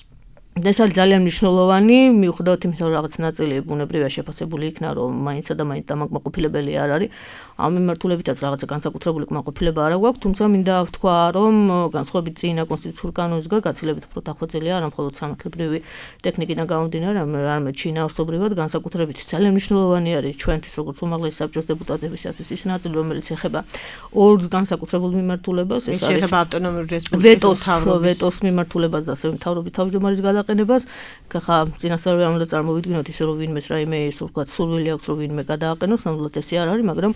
ეს არის ძალიან მნიშვნელოვანი, მიუხედავად იმისა, რომ რაღაც ნაწილი ბუნებრივია შეფასებული იქნა, რომ მაინცსა და მაინც დამაკმაყოფილებელი არ არის. ამ მიმართულებითაც რაღაცა განსაკუთრებული კმაყოფილება არ აქვს, თუმცა მინდა ვთქვა, რომ განსხვავებით წინა კონსტიტუციურ კანონისგან გაცილებით უფრო დახვეწილი არა მხოლოდ სამართლებრივი ტექნიკიდან გამომდინარე, არამედ შინაარსობრივად განსაკუთრებით ძალიან მნიშვნელოვანი არის ჩვენთვის როგორც უმაღლესი საბჭოს დეპუტატებისათვის ის ნაწილი, რომელიც ეხება ორ განსაკუთრებულ მიმართულებას,
ეს არის ეხება ავტონომიური რესპუბლიკის
მთავრობის ვეტოს მიმართულებას და ასევე მთავრობის თავმჯდომარის გადაყენებას. ხა წინასწარ არ უნდა წარმოვიდგინოთ ისე რომ ვინმეს რაიმე ის ვთქვათ სურვილი აქვს რომ ვინმე გადააყენოს, ნამდვილად ესე არ არის, მაგრამ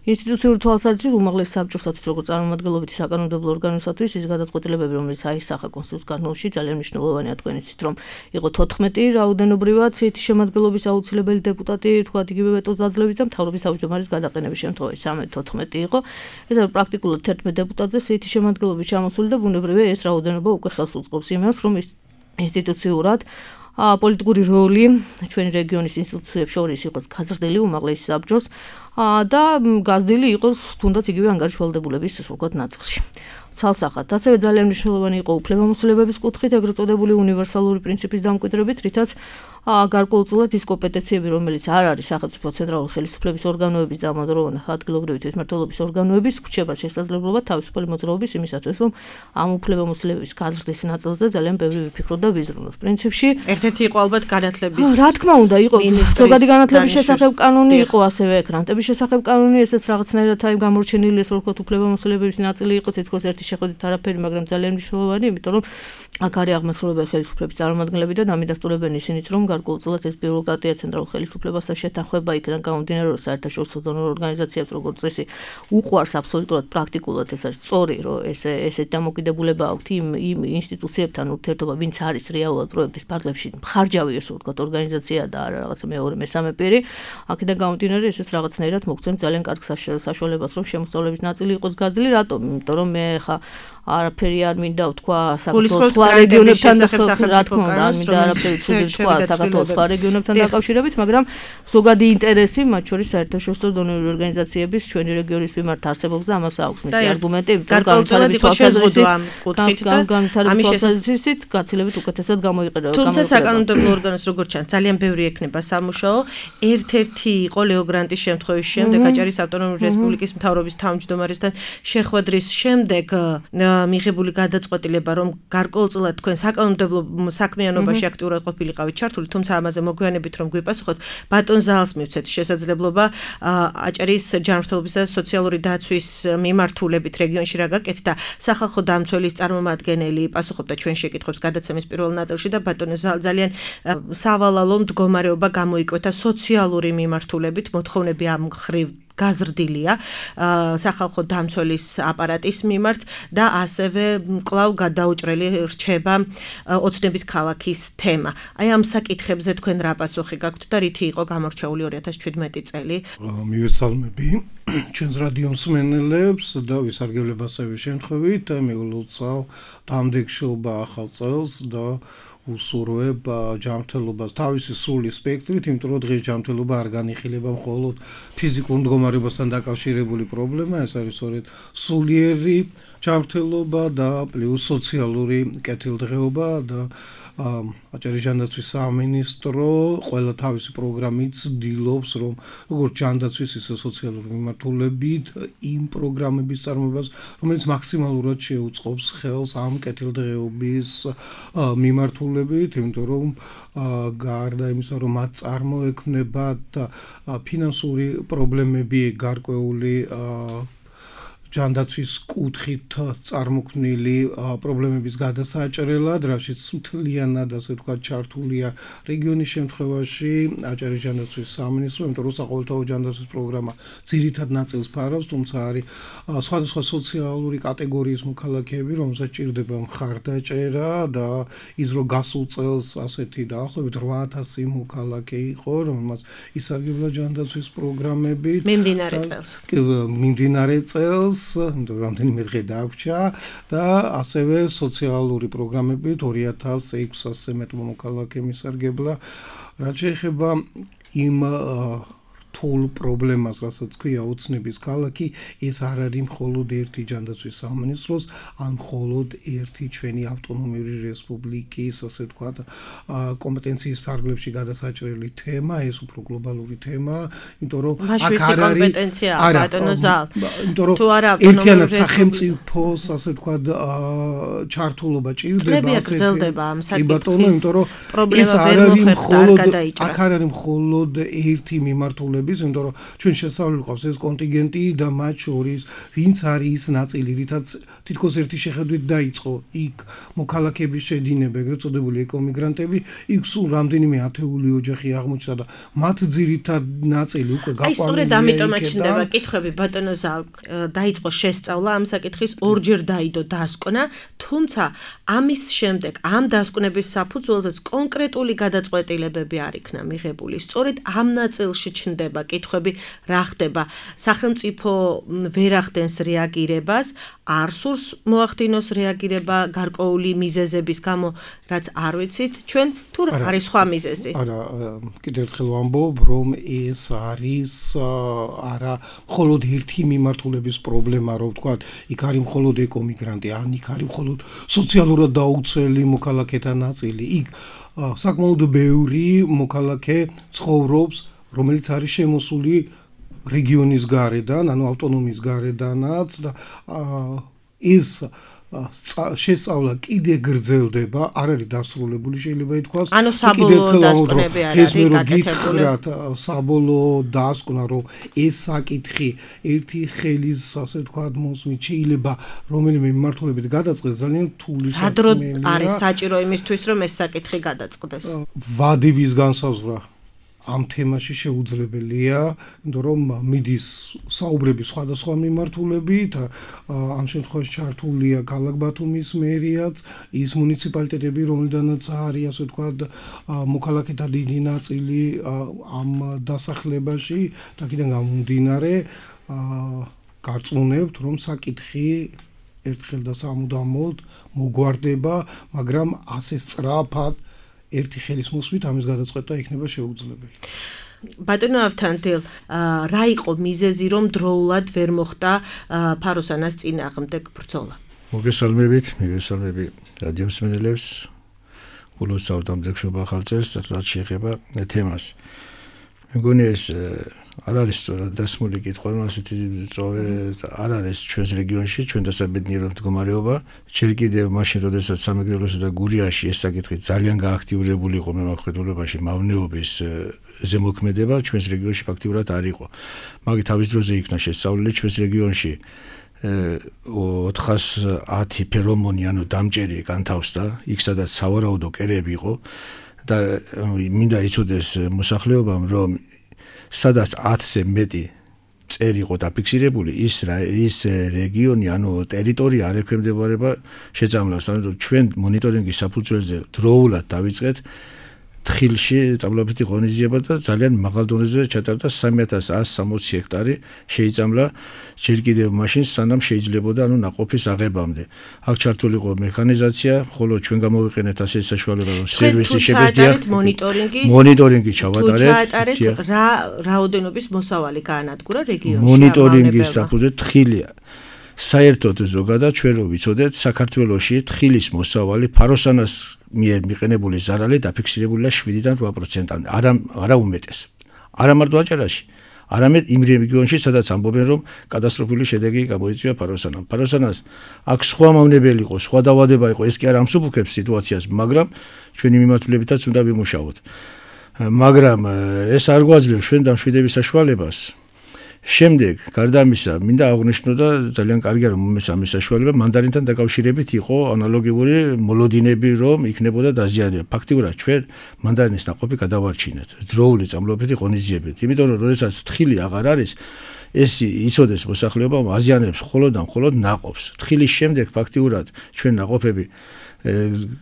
ინსტიტუციური თვალსაზრისით უმაღლესი საბჭოსათვის როგორც წარმომადგენლობითი საკანონმდებლო ორგანოსათვის ის გადაწყვეტილებები რომელიც აისახა კონსტიტუციურ კანონში ძალიან მნიშვნელოვანია თქვენ იცით რომ იყო თოთხმეტი რაოდენობრივად სიითი შემადგენლობის აუცილებელი დეპუტატი ვთქვათ იგივე ვეტოს დაძლევის და მთავრობის თავმჯდომარის გადაყენების შემთხვევაში სამი თოთხმეტი იყო ეს არის პრაქტიკულად თერთმეტ დეპუტატზე სიითი შემადგენლობის ჩამოსული და ბუნებრივია ეს რაოდენობა უკვე ხელს უწყობს იმას რომ ის ინსტიტუციურად პოლიტიკური როლი ჩვენი რეგიონის ინსტიტუციებს შორის იყოს გაზრდილი უმაღლესი საბჭოს და გაზრდილი იყოს თუნდაც იგივე ანგარიშვალდებულების ვთქვათ ნაწილში. ცალსახად, ასევე ძალიან მნიშვნელოვანი იყო უფლებამოსილებების კუთხით, ეგრეთ წოდებული უნივერსალური პრინციპის დამკვიდრებით, რითაც გარკვეულწილად ის კომპეტენციები, რომელიც არ არის სახელმწიფო ცენტრალური ხელისუფლების ორგანოების და ამავდროულად ადგილობრივი თვითმმართველობის ორგანოების, გვჩება შესაძლებლობა თავისუფალი მოძრაობის იმისათვის, რომ ამ უფლებამოსილებების გაზრდის ნაწილზე ძალიან ბევრი ვიფიქროთ და ვიზრუნოთ. პრინციპში
ერთ-ერთი იყო ალბათ განათლების
რა თქმა უნდა, იყო ზოგადი განათლების შესახებ კანონი, იყო ასევე გრანტების შესახებ კანონი, ესეც რაღაცნაირად აი გამორჩენილი ეს ვთქვათ უფლებამოსილებების ნაწილი იყო თითქოს ერთი შეხედვით არაფერი, მაგრამ ძალიან მნიშვნელოვანი, იმიტომ რომ აქ არის აღმასრულებელი ხელისუფლების წარმომადგენლები და დამიდასტურებენ ისინიც, რომ გარკვეულწილად ეს ბიუროკრატია ცენტრალურ ხელისუფლებასთან შეთანხმება იქიდან გამომდინარე, რომ საერთაშორისო დონორ ორგანიზაციებს როგორც წესი უყვარს აბსოლუტურად პრაქტიკულად ეს არის სწორი, რომ ეს ესეთ დამოკიდებულება აქვთ იმ იმ ინსტიტუციებთან ურთიერთობა, ვინც არის რეალურად პროექტის ფარგლებში მხარჯავი ეს ვთქვათ ორგანიზაცია და არა რაღაცა მეორე მესამე პირი. აქედან გამომდინარე ესეც რაღაცნაირად მოგცემს ძალიან კარგ საშუალებას, რომ შემოსავლების ნაწილი იყოს გაზრდილი, რატომ? იმიტომ რომ მე ხა არაფერი არ მინდა ვთქვა საქართველოს სხვა რეგიონებთან რა თქმა უნდა, მინდა არაფერი ცუდი ვთქვა საქართველოს სხვა რეგიონებთან დაკავშირებით, მაგრამ ზოგადი ინტერესი, მათ შორის საერთაშორისო დონორული ორგანიზაციების ჩვენი რეგიონის მიმართ არსებობს და ამას აქვს მისი არგუმენტი, განვითარების თვალსაზრისით გაცილებით უკეთესად გამოიყენება.
თუმცა საკანონმდებლო ორგანოს როგორც ჩანს, ძალიან ბევრი ექნება სამუშაო. ერთ-ერთი იყო ლეო გრანტის შემთხვევის შემდეგ აჭარის ავტონომიური რესპუბლიკის მთავრობის თავმჯდომარესთან შეხვედრის შემდეგ მიღებული გადაწყვეტილება, რომ გარკვეულწილად თქვენ საკანონმდებლო საქმიანობაში აქტიურად ყოფილიყავით ჩართული, თუმცა ამაზე მოგვიანებით რომ გვიპასუხოთ, ბატონ ზალს მივცეთ შესაძლებლობა აჭარის ჯანმრთელობისა და სოციალური დაცვის მიმართულებით რეგიონში რა გაკეთდა, სახალხო დამცველის წარმომადგენელი პასუხობდა ჩვენ შეკითხვებს გადაცემის პირველ ნაწილში და ბატონ ზალ ძალიან სავალალო მდგომარეობა გამოიკვეთა სოციალური მიმართულებით, მოთხოვნები ამ ხრივ გაზრდილია სახალხო დამცველის აპარატის მიმართ და ასევე კვლავ გადაუჭრელი რჩება ოცნების ქალაქის თემა. აი ამ საკითხებზე თქვენ რა პასუხი გაქვთ და რითი იყო გამორჩეული ორი ათას შვიდმეტი წელი?
მივესალმები ჩვენს რადიო მსმენელებს და ვისარგებლებ ასევე შემთხვევით მიულოცავ დამდეგშობა ახალ წელს და უსურვებ ჯანმრთელობას თავისი სული სპექტრით, იმიტომ რომ დღეს ჯანმრთელობა არ განიხილება მხოლოდ ფიზიკურ მდგომარეობასთან დაკავშირებული პრობლემა, ეს არის სწორედ სულიერი ჯანმრთელობა და პლუს სოციალური კეთილდღეობა და აჭარის ჯანდაცვის სამინისტრო ყველა თავისი პროგრამით ცდილობს, რომ როგორც ჯანდაცვის, ისე სოციალური მიმართულებით იმ პროგრამების წარმოებას, რომელიც მაქსიმალურად შეუწყობს ხელს ამ კეთილდღეობის მიმართულებით, იმიტომ რომ გარდა იმისა, რომ მათ წარმოექმნებათ ფინანსური პრობლემები გარკვეული ჯანდაცვის კუთხით წარმოქმნილი პრობლემების გადასაჭრელად, რაშიც მთლიანად ასე ვთქვათ ჩართულია რეგიონის შემთხვევაში აჭარის ჯანდაცვის სამინისტრო, იმიტომ რომ საყოველთაო ჯანდაცვის პროგრამა ძირითად ნაწილს ფარავს, თუმცა არის სხვადასხვა სოციალური კატეგორიის მოქალაქეები, რომელსაც ჭირდება მხარდაჭერა და ის რომ გასულ წელს ასეთი დაახლოებით რვა ათასი მოქალაქე იყო, რომელმაც ისარგებლა ჯანდაცვის პროგრამებით.
მიმდინარე წელს.
მიმდინარე წელს რამდენიმე დღე დაგვრჩა და ასევე სოციალური პროგრამებით ორი ათას ექვსასზე მეტ მოქალაქე მისარგებლა. რაც შეეხება იმ რთულ პრობლემას, რასაც ქვია ოცნების ქალაქი, ეს არ არის მხოლოდ ერთი ჯანდაცვის სამინისტროს, ან მხოლოდ ერთი ჩვენი ავტონომიური რესპუბლიკის, ასე ვთქვათ, კომპეტენციის ფარგლებში გადასაჭრელი თემა, ეს უფრო გლობალური თემა, იმიტომ რომ
აქ არ არის კომპეტენცია ბატონო ზალ.
იმიტომ რომ ერთიანად სახელმწიფოს, ასე ვთქვათ, ჩართულობა ჭირდება,
ასე გრძელდება ამ საკითხის
იმიტომ რომ
პრობლემა ვერ მოხერხდა, არ გადაიჭრა.
აქ არ არის მხოლოდ ერთი მიმართულების, იმიტომ რომ ჩვენ შესწავლილი ყავს ეს კონტინგენტი და მათ შორის ვინც არის ის ნაწილი, რითაც თითქოს ერთი შეხედვით დაიწყო იქ მოქალაქეების შედინება, ეგრეთ წოდებული ეკომიგრანტები, იქ სულ რამდენიმე ათეული ოჯახი აღმოჩნდა და მათ ძირითად ნაწილი უკვე გაყვანილია.
აი სწორედ ამიტომაც ჩნდება კითხვები ბატონო ზალ, დაიწყო შესწავლა ამ საკითხის, ორჯერ დაიდო დასკვნა, თუმცა ამის შემდეგ ამ დასკვნების საფუძველზეც კონკრეტული გადაწყვეტილებები არ იქნა მიღებული. სწორედ ამ ნაწილში ჩნდება კითხვები, რა ხდება, სახელმწიფო ვერ ახდენს რეაგირებას, არ სურს მოახდინოს რეაგირება გარკვეული მიზეზების გამო, რაც არ ვიცით, ჩვენ თუ არის სხვა მიზეზი.
არა, კიდევ ერთხელ ვამბობ, რომ ეს არის არა მხოლოდ ერთი მიმართულების პრობლემა, რომ ვთქვათ, იქ არის მხოლოდ ეკომიგრანტი, ან იქ არის მხოლოდ სოციალურად დაუცველი მოქალაქეთა ნაწილი. იქ საკმაოდ ბევრი მოქალაქე ცხოვრობს, რომელიც არის შემოსული რეგიონის გარედან, ანუ ავტონომიის გარედანაც და ეს შესწავლა კიდე გრძელდება, არ არის დასრულებული, შეიძლება ითქვას.
ანუ საბოლოო დასკვნები არ არის
გაკეთებული. საბოლოო დასკვნა, რომ ეს საკითხი ერთი ხელის, ასე ვთქვათ, მოსმით შეიძლება რომელიმე მიმართულებით გადაწყდეს, ძალიან რთული
საქმეა. რა დრო არის საჭირო იმისთვის, რომ ეს საკითხი გადაწყდეს?
ვადების განსაზღვრა ამ თემაში შეუძლებელია, იმიტომ რომ მიდის საუბრები სხვადასხვა მიმართულებით, ამ შემთხვევაში ჩართულია ქალაქ ბათუმის მერიაც, ის მუნიციპალიტეტები, რომელიდანაც არის, ასე ვთქვათ, მოქალაქეთა დიდი ნაწილი ამ დასახლებაში, და აქედან გამომდინარე, გარწმუნებთ, რომ საკითხი ერთხელ და სამუდამოდ მოგვარდება, მაგრამ ასე სწრაფად ერთი ხელის მოსმით ამის გადაწყვეტა იქნება შეუძლებელი.
ბატონო ავთანდილ, რა იყო მიზეზი, რომ დროულად ვერ მოხდა ფაროსანას წინააღმდეგ ბრძოლა?
მოგესალმებით, მიგესალმები რადიო მსმენელებს, ულოცავთ ამ ძეგლშობა ხალხს, რაც შეეხება თემას. მეგონი ეს არ არის სწორად დასმული კითხვა, რომ ასეთი წოვე არ არის ჩვენს რეგიონში, ჩვენ დასაბედნიერო მდგომარეობა. ჯერ კიდევ მაშინ, როდესაც სამეგრელოსა და გურიაში ეს საკითხი ძალიან გააქტიურებული იყო მემკვიდრეობაში, მავნეობის ზემოქმედება ჩვენს რეგიონში ფაქტიურად არ იყო. მაგ თავის დროზე იქნა შესწავლილი ჩვენს რეგიონში ოთხას ათი ფერომონი, ანუ დამჭერი განთავსდა, იქ სადაც სავარაუდო კერები იყო და მინდა იცოდეს მოსახლეობამ, რომ სადაც ათზე მეტი წერი იყო დაფიქსირებული, ის ის რეგიონი, ანუ ტერიტორია არ ექვემდებარება შეწამლას, ანუ ჩვენ მონიტორინგის საფუძველზე დროულად დავიწყეთ თხილში წამლაბითი ღონისძიება და ძალიან მაღალ დონეზე ჩატარდა სამი ათას ასი სამოცი ჰექტარი შეიწამლა ჯერ კიდევ მაშინ სანამ შეიძლებოდა ანუ ნაყოფის აღებამდე. აქ ჩართული იყო მექანიზაცია, ხოლო ჩვენ გამოვიყენეთ ასე საშუალება, რომ სერვისი შეგეძდია.
მონიტორინგი.
მონიტორინგი ჩავატარეთ.
ჩაატარეთ რა რაოდენობის მოსავალი გაანადგურა რეგიონში.
მონიტორინგის საფუძველი თხილია. საერთოდ ზოგადად ჩვენ რო ვიცოდეთ, საქართველოში თხილის მოსავალი ფაროსანას მიერ მიყენებული ზარალი დაფიქსირებულია შვიდიდან რვა პროცენტამდე, არა არა უმეტეს. არა მარტო აჭარაში, არამედ იმ რეგიონში, სადაც ამბობენ, რომ კატასტროფული შედეგი გამოიწვია ფაროსანამ. ფაროსანას აქ სხვა მავნებელი იყო, სხვა დაავადება იყო, ეს კი არ ამსუბუქებს სიტუაციას, მაგრამ ჩვენი მიმართულებითაც უნდა ვიმუშაოთ. მაგრამ ეს არ გვაძლევს ჩვენ დამშვიდების საშუალებას. შემდეგ, გარდა ამისა, მინდა აღვნიშნო და ძალიან კარგია რომ მომეს ამის საშუალება, მანდარინთან დაკავშირებით იყო ანალოგიური მოლოდინები, რომ იქნებოდა დაზიანება. ფაქტიურად ჩვენ მანდარინის ნაყოფი გადავარჩინეთ დროული წამლობითი ღონისძიებით. იმიტომ რომ როდესაც თხილი აღარ არის, ეს იცოდეს მოსახლეობა აზიანებს მხოლოდ და მხოლოდ ნაყოფს. თხილის შემდეგ ფაქტიურად ჩვენ ნაყოფები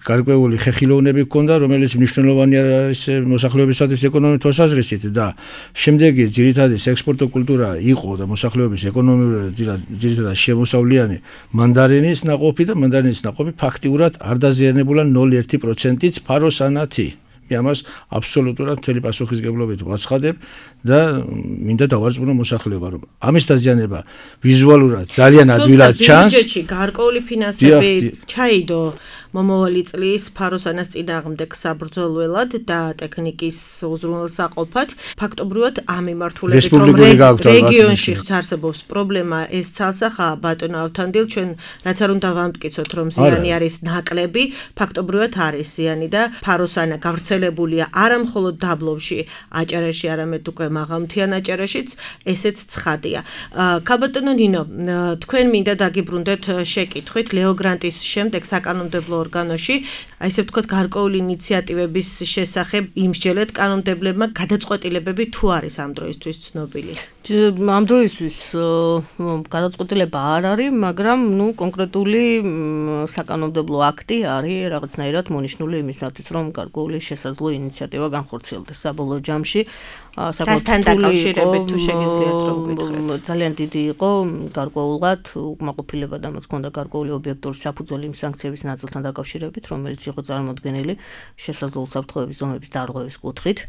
გარკვეული ხეხილოვნები ჰქონდა, რომელიც მნიშვნელოვანი არის მოსახლეობისათვის ეკონომიკურ თვალსაზრისით და შემდეგი ძირითადი ექსპორტო კულტურა იყო და მოსახლეობის ეკონომიკურად ძირითადად შემოსავლიანი მანდარინის ნაყოფი და მანდარინის ნაყოფი ფაქტიურად არ დაზიანებულა ნული ერთი პროცენტიც ფაროსანათი. მე ამას აბსოლუტურად მთელი პასუხისგებლობით ვაცხადებ და მინდა დავარწმუნო მოსახლეობა, რომ ამის დაზიანება ვიზუალურად ძალიან ადვილად ჩანს.
ბიუჯეტში გარკვეული ფინანსები ჩაიდო მომავალი წლის ფაროსანას წინააღმდეგ საბრძოლველად და ტექნიკის უზრუნველსაყოფად. ფაქტობრივად ამ მიმართულებით რომ რეგიონში არსებობს პრობლემა, ეს ცალსახაა ბატონო ავთანდილ, ჩვენ რაც არ უნდა ვამტკიცოთ, რომ ზიანი არის ნაკლები, ფაქტობრივად არის ზიანი და ფაროსანა გავრცელებულია არა მხოლოდ დაბლობში, აჭარაში, არამედ უკვე მაღალმთიან აჭარაშიც, ესეც ცხადია. ქაბატონო ნინო, თქვენ მინდა დაგიბრუნდეთ შეკითხვით ლეო გრანტის შემდეგ საკანონმდებლო ორგანოში, აი ესე ვთქვათ, გარკვეული ინიციატივების შესახებ იმსჯელეთ კანონმდებლებმა გადაწყვეტილებები თუ არის ამ დროისთვის ცნობილი?
ამ დროისთვის გადაწყვეტილება არ არის, მაგრამ ნუ კონკრეტული საკანონმდებლო აქტი არის რაღაცნაირად მონიშნული იმისათვის, რომ გარკვეული შესაძლო ინიციატივა განხორციელდეს საბოლოო ჯამში.
საკუთარ დაკავშირებით თუ შეგიძლიათ რომ გითხრათ.
ძალიან დიდი იყო გარკვეულად უკმაყოფილება და მას ჰქონდა გარკვეული ობიექტური საფუძველი იმ სანქციების ნაწილთან დაკავშირებით, რომელიც იყო წარმოდგენილი შესაძლო უსაფრთხოების ზომების დარღვევის კუთხით.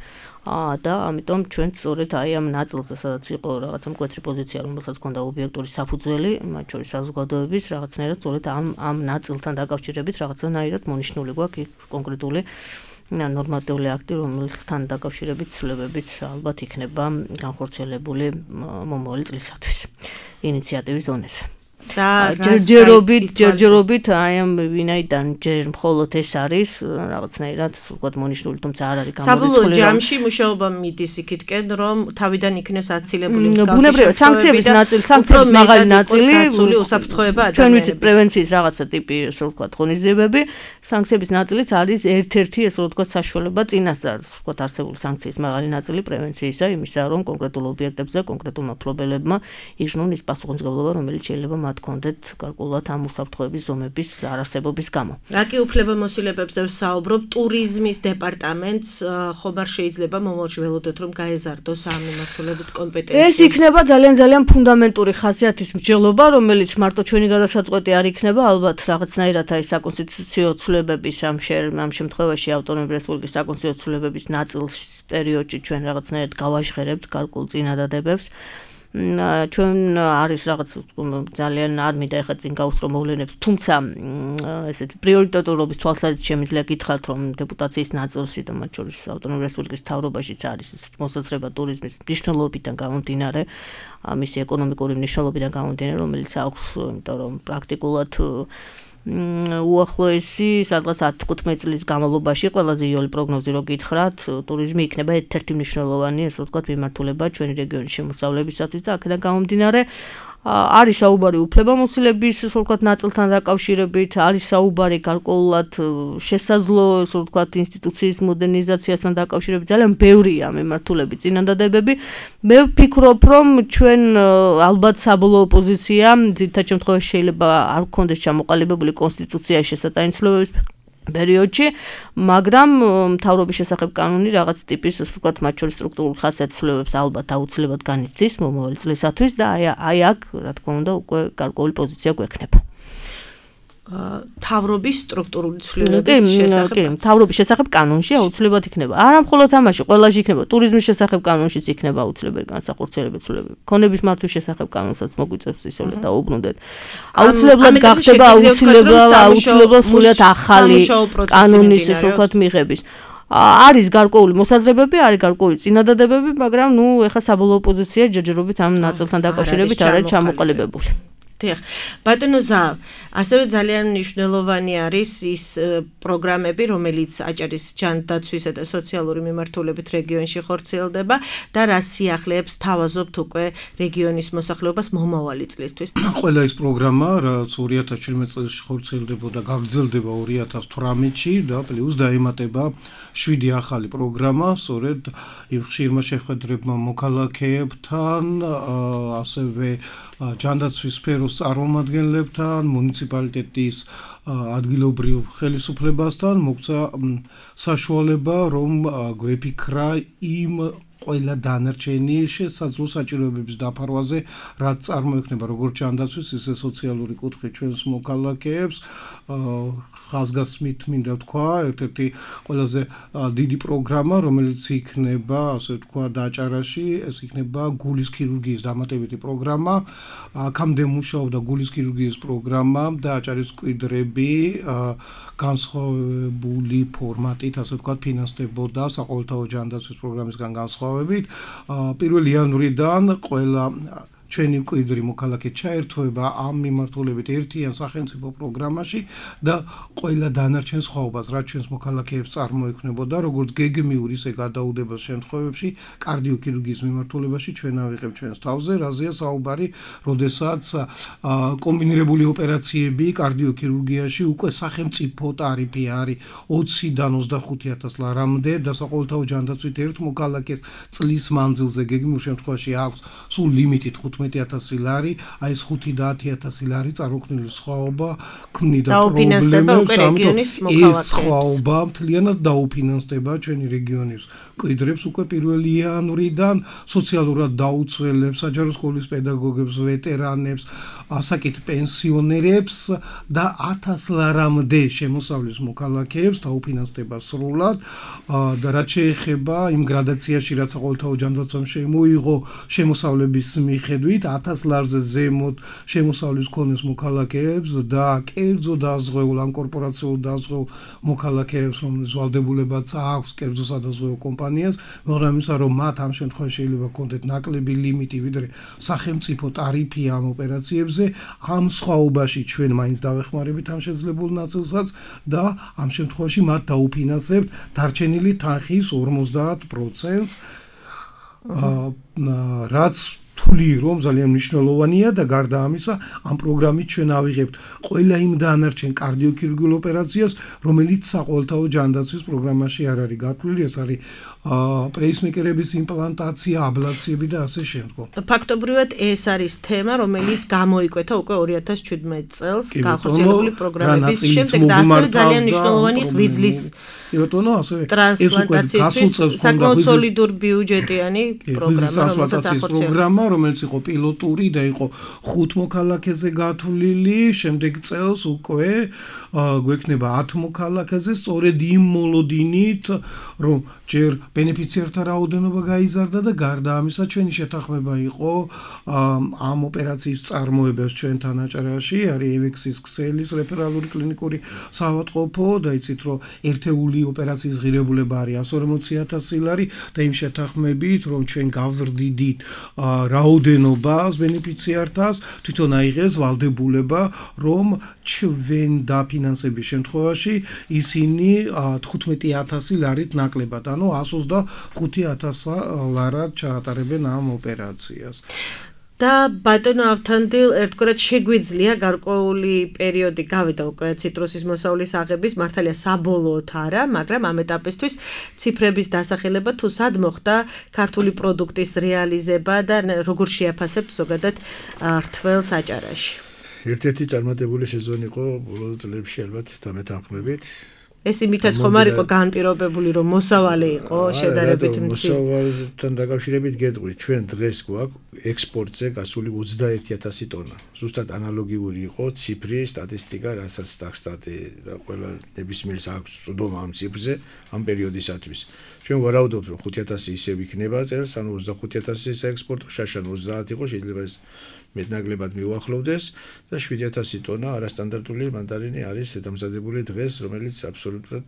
და ამიტომ ჩვენ სწორედ აი ამ ნაწილზე, სადაც იყო რაღაცა მკვეთრი პოზიცია, რომელსაც ჰქონდა ობიექტური საფუძველი, მათ შორის საზოგადოების, რაღაცნაირად სწორედ ამ ამ ნაწილთან დაკავშირებით რაღაცნაირად მონიშნული გვაქვს კონკრეტული ნორმატიული აქტი, რომელთან დაკავშირებით ცვლილებებიც ალბათ იქნება განხორციელებული მომავალი წლისათვის ინიციატივის დონეზე. და ჯერჯერობით ჯერჯერობით აი ამ ვინაიდან ჯერ მხოლოდ ეს არის რაღაცნაირად სულყოდ მონიშნული, თუმცა არ არის გამორიცხული.
საბოლოო ჯამში მუშაობა მიდის იქითკენ, რომ თავიდან იქნეს აცილებული მსგავსი
ბუნებრივია სანქციების ნაწილი, სანქციების მაღალი ნაწილი,
უსაფრთხოება ადამიანების.
ჩვენ ვიცით პრევენციის რაღაცა ტიპი, ასე ვთქვათ, ღონისძიებები, სანქციების ნაწილიც არის ერთ-ერთი, ასე ვთქვათ, საშუალება წინასწარ, ასე ვთქვათ, არსებული სანქციის მაღალი ნაწილი პრევენციისა, იმისა, რომ კონკრეტულ ობიექტებზე, კონკრეტულმა მფლობელებმა იგრძნონ ის პასუხისმგებლობა, რომელიც შეიძლება მათ კონდეთ გარკვეულად ამ უსაფრთხოების ზომების არარსებობის გამო.
რა კი უფლებამოსილებებზე ვსაუბრობ, ტურიზმის დეპარტამენტს ხომ არ შეიძლება მომავალში ველოდოთ, რომ გაეზარდოს ამ მიმართულებით კომპეტენცია?
ეს იქნება ძალიან ძალიან ფუნდამენტური ხასიათის მსჯელობა, რომელიც მარტო ჩვენი გადასაწყვეტი არ იქნება, ალბათ რაღაცნაირად აი საკონსტიტუციო ცვლილებების ამ ამ შემთხვევაში ავტონომიური რესპუბლიკის საკონსტიტუციო ცვლილებების ნაწილში პერიოდში ჩვენ რაღაცნაირად გავაჟღერებთ გარკვეულ წინადადებებს. ჩვენ არის რაღაც ძალიან არ მინდა ეხლა წინ გავუსწრო მოვლენებს, თუმცა ესეთი პრიორიტეტურობის თვალსაზრისით შემიძლია გითხრათ, რომ დეპუტაციის ნაწილში და მათ შორის ავტონომიური რესპუბლიკის მთავრობაშიც არის მოსაზრება ტურიზმის მნიშვნელობიდან გამომდინარე, მისი ეკონომიკური მნიშვნელობიდან გამომდინარე, რომელიც აქვს, იმიტომ რომ პრაქტიკულად უახლოესი სადღაც ათი-თხუთმეტი წლის განმავლობაში ყველაზე იოლი პროგნოზი რო გითხრათ, ტურიზმი იქნება ერთ-ერთი მნიშვნელოვანი, ასე ვთქვათ, მიმართულება ჩვენი რეგიონის შემოსავლებისათვის და აქედან გამომდინარე არის საუბარი უფლებამოსილების, ასე ვთქვათ, ნაწილთან დაკავშირებით, არის საუბარი გარკვეულად შესაძლო, ასე ვთქვათ, ინსტიტუციის მოდერნიზაციასთან დაკავშირებით, ძალიან ბევრია მიმართულები, წინადადებები. მე ვფიქრობ, რომ ჩვენ ალბათ საბოლოო პოზიცია, ძირითად შემთხვევაში შეიძლება არ გქონდეს ჩამოყალიბებული კონსტიტუციაში შესატანცვლებების პერიოდში, მაგრამ მთავრობის შესახებ კანონი რაღაც ტიპის, ასე ვთქვათ, მათ შორის სტრუქტურულ ხასიათის ცვლილებებს ალბათ აუცილებლად განიცდის მომავალი წლისათვის და აი აი აქ, რა თქმა უნდა, უკვე გარკვეული პოზიცია გვექნება.
თავრობის სტრუქტურული ცვლილებების შესახებ.
კი, თავრობის შესახებ კანონში აუცილებლად იქნება. არა მხოლოდ ამაში, ყველაში იქნება. ტურიზმის შესახებ კანონშიც იქნება აუცილებელი განსახორციელებელი ცვლილებები. ქონების მართვის შესახებ კანონსაც მოგვიწევს ისევ და უბრუნდეთ. აუცილებლად გახდება აუცილებლად აუცილებლად სულიად ახალი კანონის, ასე ვთქვათ, მიღების. არის გარკვეული მოსაზრებები, არის გარკვეული წინადადებები, მაგრამ ნუ ეხა საბოლოო პოზიცია ჯერჯერობით ამ ნაწილთან დაკავშირებით არ არის ჩამოყალიბებული.
დიახ, ბატონო ზალ, ასევე ძალიან მნიშვნელოვანი არის ის პროგრამები, რომელიც აჭარის ჯანდაცვისა და სოციალური მიმართულებით რეგიონში ხორციელდება და რა სიახლეებს თავაზობთ უკვე რეგიონის მოსახლეობას მომავალი წლისთვის.
ყველა ის პროგრამა, რაც ორი ათას შვიდმეტი წელს ხორციელდებოდა, გაგრძელდება ორი ათას თვრამეტში და პლუს დაემატება შვიდი ახალი პროგრამა, სწორედ იმ ხშირმა შეხვედრებმა მოქალაქეებთან, ასევე ჯანდაცვის სფეროს წარმომადგენლებთან, მუნიციპალიტეტის ადგილობრივ ხელისუფლებასთან მოგვცა საშუალება, რომ გვეფიქრა იმ ყველა დანარჩენი შესაძლო საჭიროებების დაფარვაზე, რაც წარმოიქმნება როგორც ჯანდაცვის, ისე სოციალური კუთხით ჩვენს მოქალაქეებს. ხაზგასმით მინდა ვთქვა, ერთ-ერთი ყველაზე დიდი პროგრამა, რომელიც იქნება, ასე ვთქვა, დაჭარაში, ეს იქნება გულის ქირურგიის დამატებითი პროგრამა. აქამდე მუშაობდა გულის ქირურგიის პროგრამა და აჭარის მკვიდრები განსხვავებული ფორმატით, ასე ვთქვა, ფინანსდებოდა საყოველთაო ჯანდაცვის პროგრამისგან განსხვავებით. პირველი იანვრიდან ყველა ჩვენი მკვიდრი მოქალაქე ჩაერთვება ამ მიმართულებით ერთიან სახელმწიფო პროგრამაში და ყველა დანარჩენ სხვაობას, რაც ჩვენს მოქალაქეებს წარმოექმნებოდა, როგორც გეგმიურ, ისე გადაუდებელ შემთხვევებში, კარდიოქირურგიის მიმართულებაში ჩვენ ავიღებთ ჩვენს თავზე, რაზეა საუბარი, როდესაც კომბინირებული ოპერაციები კარდიოქირურგიაში უკვე სახელმწიფო ტარიფი არის ოციდან ოცდახუთი ათას ლარამდე და საყოველთაო ჯანდაცვით ერთ მოქალაქეს წლის მანძილზე გეგმიურ შემთხვევაში აქვს სულ ლიმიტით თხუთმეტი ათასი ლარი, აი ეს ხუთი და ათი ათასი ლარი წარმოქმნილი სხვაობა ქმნიდა პრობლემებს, ამიტომ ეს სხვაობა მთლიანად დაუფინანსდება ჩვენი რეგიონის მკვიდრებს უკვე პირველი იანვრიდან სოციალურად დაუცველებს, საჯარო სკოლის პედაგოგებს, ვეტერანებს, ასაკით პენსიონერებს და ათას ლარამდე შემოსავლის მოქალაქეებს დაუფინანსდება სრულად და რაც შეეხება იმ გრადაციაში, რაც საყოველთაო ჯანდაცვამ შემოიღო შემოსავლების მიხედვით ათას ლარზე ზემოთ შემოსავლის მქონეს მოქალაქეებს და კერძო დაზღვეულ ან კორპორაციულ დაზღვეულ მოქალაქეებს, რომლის ვალდებულებაც აქვს კერძო სადაზღვეო კომპანიას, მაგრამ იმისა, რომ მათ ამ შემთხვევაში შეიძლება ჰქონდეთ ნაკლები ლიმიტი, ვიდრე სახელმწიფო ტარიფი ამ ოპერაციებზე, ამ სხვაობაში ჩვენ მაინც დავეხმარებით ამ შეძლებულ ნაწილსაც და ამ შემთხვევაში მათ დაუფინანსებთ დარჩენილი თანხის ორმოცდაათ პროცენტს, რაც თვლი რომ ძალიან მნიშვნელოვანია და გარდა ამისა ამ პროგრამით ჩვენ ავიღებთ ყველა იმ დანარჩენ კარდიოქირურგიულ ოპერაციას, რომელიც საყოველთაო ჯანდაცვის პროგრამაში არ არის გათვლილი, ეს არის პრეისმეკერების იმპლანტაცია, აბლაციები და ასე შემდგომ.
ფაქტობრივად ეს არის თემა, რომელიც გამოიკვეთა უკვე ორი ათას შვიდმეტ წელს განხორციელებული პროგრამების შემდეგ და ასევე ძალიან მნიშვნელოვანი ღვიძლის
ბატონო, ასევე
ეს უკვე გასულ წელს საკმაოდ სოლიდური ბიუჯეტიანი პროგრამა, რომელსაც ახორციელებდა,
რომელიც იყო პილოტური და იყო ხუთ მოქალაქეზე გათვლილი, შემდეგ წელს უკვე გვექნება ათ მოქალაქეზე, სწორედ იმ მოლოდინით, რომ ჯერ ბენეფიციართა რაოდენობა გაიზარდა და გარდა ამისა ჩვენი შეთანხმება იყო ამ ოპერაციის წარმოებას ჩვენთან აჭარაში, არის ევექსის ქსელის რეფერალური კლინიკური საავადმყოფო და იცით რომ ერთეული ოპერაციის ღირებულება არის εκατო ორმოცი ათასი ლარი და იმ შეთანხმებით რომ ჩვენ გავზრდიდით რაოდენობას ბენეფიციართას, თვითონ აიღეს ვალდებულება რომ ჩვენ დაფინანსების შემთხვევაში ისინი თხუთმეტი ათასი ლარით ნაკლებად, ანუ εκατო ოცდახუთი ათასი ლარად ჩაატარებენ ამ ოპერაციას.
და ბატონო ავთანდილ, ერთგვარად შეგვიძლია გარკვეული პერიოდი გავიდა უკვე ციტრუსის მოსავლის აღების, მართალია საბოლოოდ არა, მაგრამ ამ ეტაპისთვის ციფრების დასახელება თუ სად მოხდა ქართული პროდუქტის რეალიზება და როგორ შეაფასებთ ზოგადად რთველს აჭარაში?
ერთ-ერთი წარმატებული სეზონი იყო ბოლო წლებში ალბათ დამეთანხმებით.
ეს იმითაც ხომ არ იყო განპირობებული, რომ მოსავალი იყო შედარებით მცირე.
მოსავალთან დაკავშირებით გეტყვი, ჩვენ დღეს გვაქვს ექსპორტზე გასული ოცდაერთი ათასი ტონა. ზუსტად ანალოგიური იყო ციფრი, სტატისტიკა, რასაც სტატსტატი და ყველა ნებისმიერს აქვს წვდომა ამ ციფრზე ამ პერიოდისათვის. ჩვენ ვარაუდობთ, რომ ხუთი ათასი ისევ იქნება წელს, ანუ ოცდახუთი ათასი საექსპორტო, შაშან ოცდაათი იყო, შეიძლება ეს მეტნაკლებად მიუახლოვდეს და შვიდი ათასი ტონა არასტანდარტული მანდარინი არის დამზადებული დღეს, რომელიც აბსოლუტურად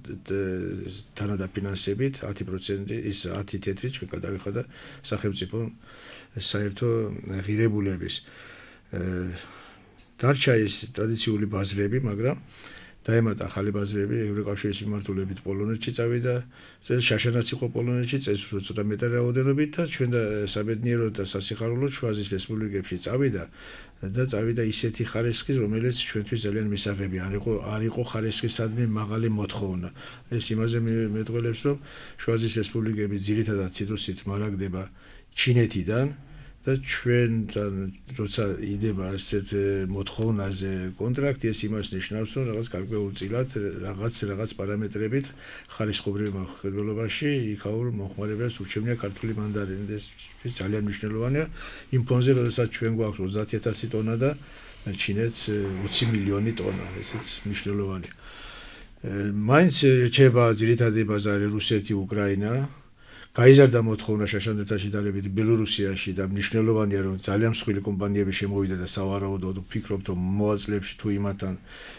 თანადაფინანსებით ათი პროცენტი ის ათი თეთრი ჩვენ გადავიხადა სახელმწიფო საერთო ღირებულების. დარჩა ის ტრადიციული ბაზრები, მაგრამ დაემატა ახალი ბაზრები, ევროკავშირის მიმართულებით პოლონეთში წავიდა, წელს შაშანაც იყო პოლონეთში, წელს ცოტა მეტი რაოდენობით და ჩვენ და საბედნიეროდ და სასიხარულოდ შუა აზიის რესპუბლიკებში წავიდა და წავიდა ისეთი ხარისხის, რომელიც ჩვენთვის ძალიან მისაღები არ იყო, არ იყო ხარისხისადმი მაღალი მოთხოვნა. ეს იმაზე მეტყველებს, რომ შუა აზიის რესპუბლიკები ძირითადად ციტრუსით მარაგდება ჩინეთიდან, და ჩვენთან როცა იდება ასეთ მოთხოვნაზე კონტრაქტი, ეს იმას ნიშნავს, რომ რაღაც გარკვეულწილად რაღაც რაღაც პარამეტრებით ხარისხობრივ მოხდელობაში იქაურ მომხმარებელს ურჩევნია ქართული მანდარინი და ეს ძალიან მნიშვნელოვანია იმ ფონზე, როდესაც ჩვენ გვაქვს ოცდაათი ათასი ტონა და ჩინეთს ოცი მილიონი ტონა, ესეც მნიშვნელოვანია. მაინც რჩება ძირითადი ბაზარი რუსეთი, უკრაინა. გაიზარდა მოთხოვნა შაშანდეთაში დალებით ბელორუსიაში და მნიშვნელოვანია რომ ძალიან მსხვილი კომპანიები შემოვიდა და სავარაუდოდ ვფიქრობთ რომ მოაწყ წლებში თუ იმათთან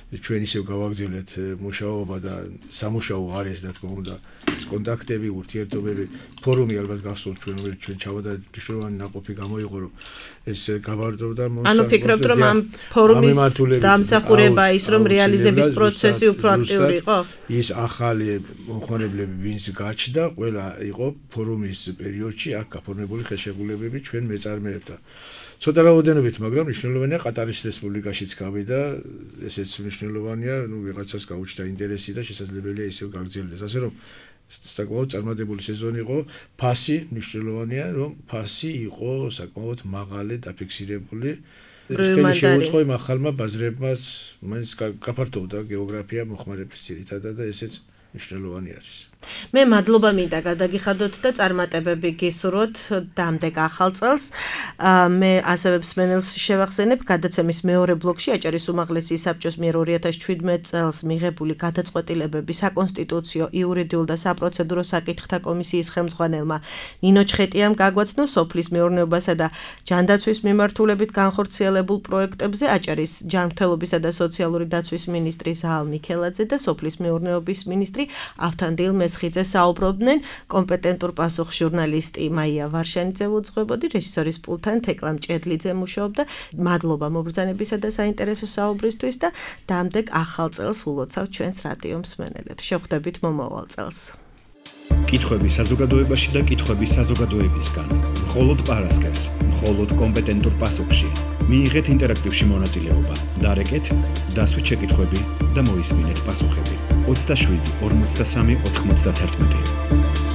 ჩვენ ისევ გავაგრძელეთ მუშაობა და სამუშაო არის და თქმა უნდა ეს კონტაქტები, ურთიერთობები, ფორუმი ალბათ გახსოვთ ჩვენ რომ ჩვენ ჩავდა მნიშვნელოვანი ნაყოფი გამოიყო რომ ეს გავარდოვდა მოსა.
ანუ ფიქრობთ რომ ამ ფორუმის დამსახურება ის რომ რეალიზების პროცესი უფრო აქტიური იყო?
ის ახალი მომხმარებლები ვინც გაჩნდა, ყველა იყო ფორუმის პერიოდში აქ გაფორმებული ხელშეკრულებები ჩვენ მეწარმეებთან. ცოტა რაოდენობით, მაგრამ მნიშვნელოვანია ყატარის რესპუბლიკაშიც გავიდა, ესეც მნიშვნელოვანია, ნუ ვიღაცას გაუჩნდა ინტერესი და შესაძლებელია ისევ გაგრძელდეს. ასე რომ საკმაოდ წარმატებული სეზონი იყო, ფასი მნიშვნელოვანია, რომ ფასი იყო საკმაოდ მაღალი დაფიქსირებული. ხელი შეუწყო იმ ახალმა ბაზრებმაც, მაინც გაფართოვდა გეოგრაფია მოხმარების ძირითადად და ესეც მნიშვნელოვანი არის.
მე მადლობა მინდა გადაგიხადოთ და წარმატებები გისურვოთ დამდეგ ახალ წელს. მე ასევე მსმენელს შევახსენებ, გადაცემის მეორე ბლოკში აჭარის უმაღლესი საბჭოს მიერ ორი ათას ჩვიდმეტ წელს მიღებული გადაწყვეტილებები საკონსტიტუციო, იურიდიულ და საპროცედურო საკითხთა კომისიის ხელმძღვანელმა ნინო ჩხეტიამ გაგვაცნო სოფლის მეურნეობასა და ჯანდაცვის მიმართულებით განხორციელებულ პროექტებზე აჭარის ჯანმრთელობისა და სოციალური დაცვის მინისტრი ზაალ მიქელაძე და სოფლის მეურნეობის მინისტრი ავთანდილ მესხიძე საუბრობდნენ. კომპეტენტურ პასუხს ჟურნალისტი მაია ვარშანიძე უძღვებოდი, რეჟისორის პულტთან თეკლა მჭედლიძე მუშაობდა. მადლობა მობრძანებისა და საინტერესო საუბრისთვის და დამდეგ ახალ წელს ულოცავთ ჩვენს რადიო მსმენელებს. შევხვდებით მომავალ წელს.
კითხვები საზოგადოებაში და კითხვები საზოგადოებისგან. მხოლოდ პარასკევს, მხოლოდ კომპეტენტურ პასუხში. მიიღეთ ინტერაქტივში მონაწილეობა. დარეკეთ, დასვით შეკითხვები და მოისმინეთ პასუხები. ოცდაშვიდი ორმოცდასამი ოთხმოცდაათი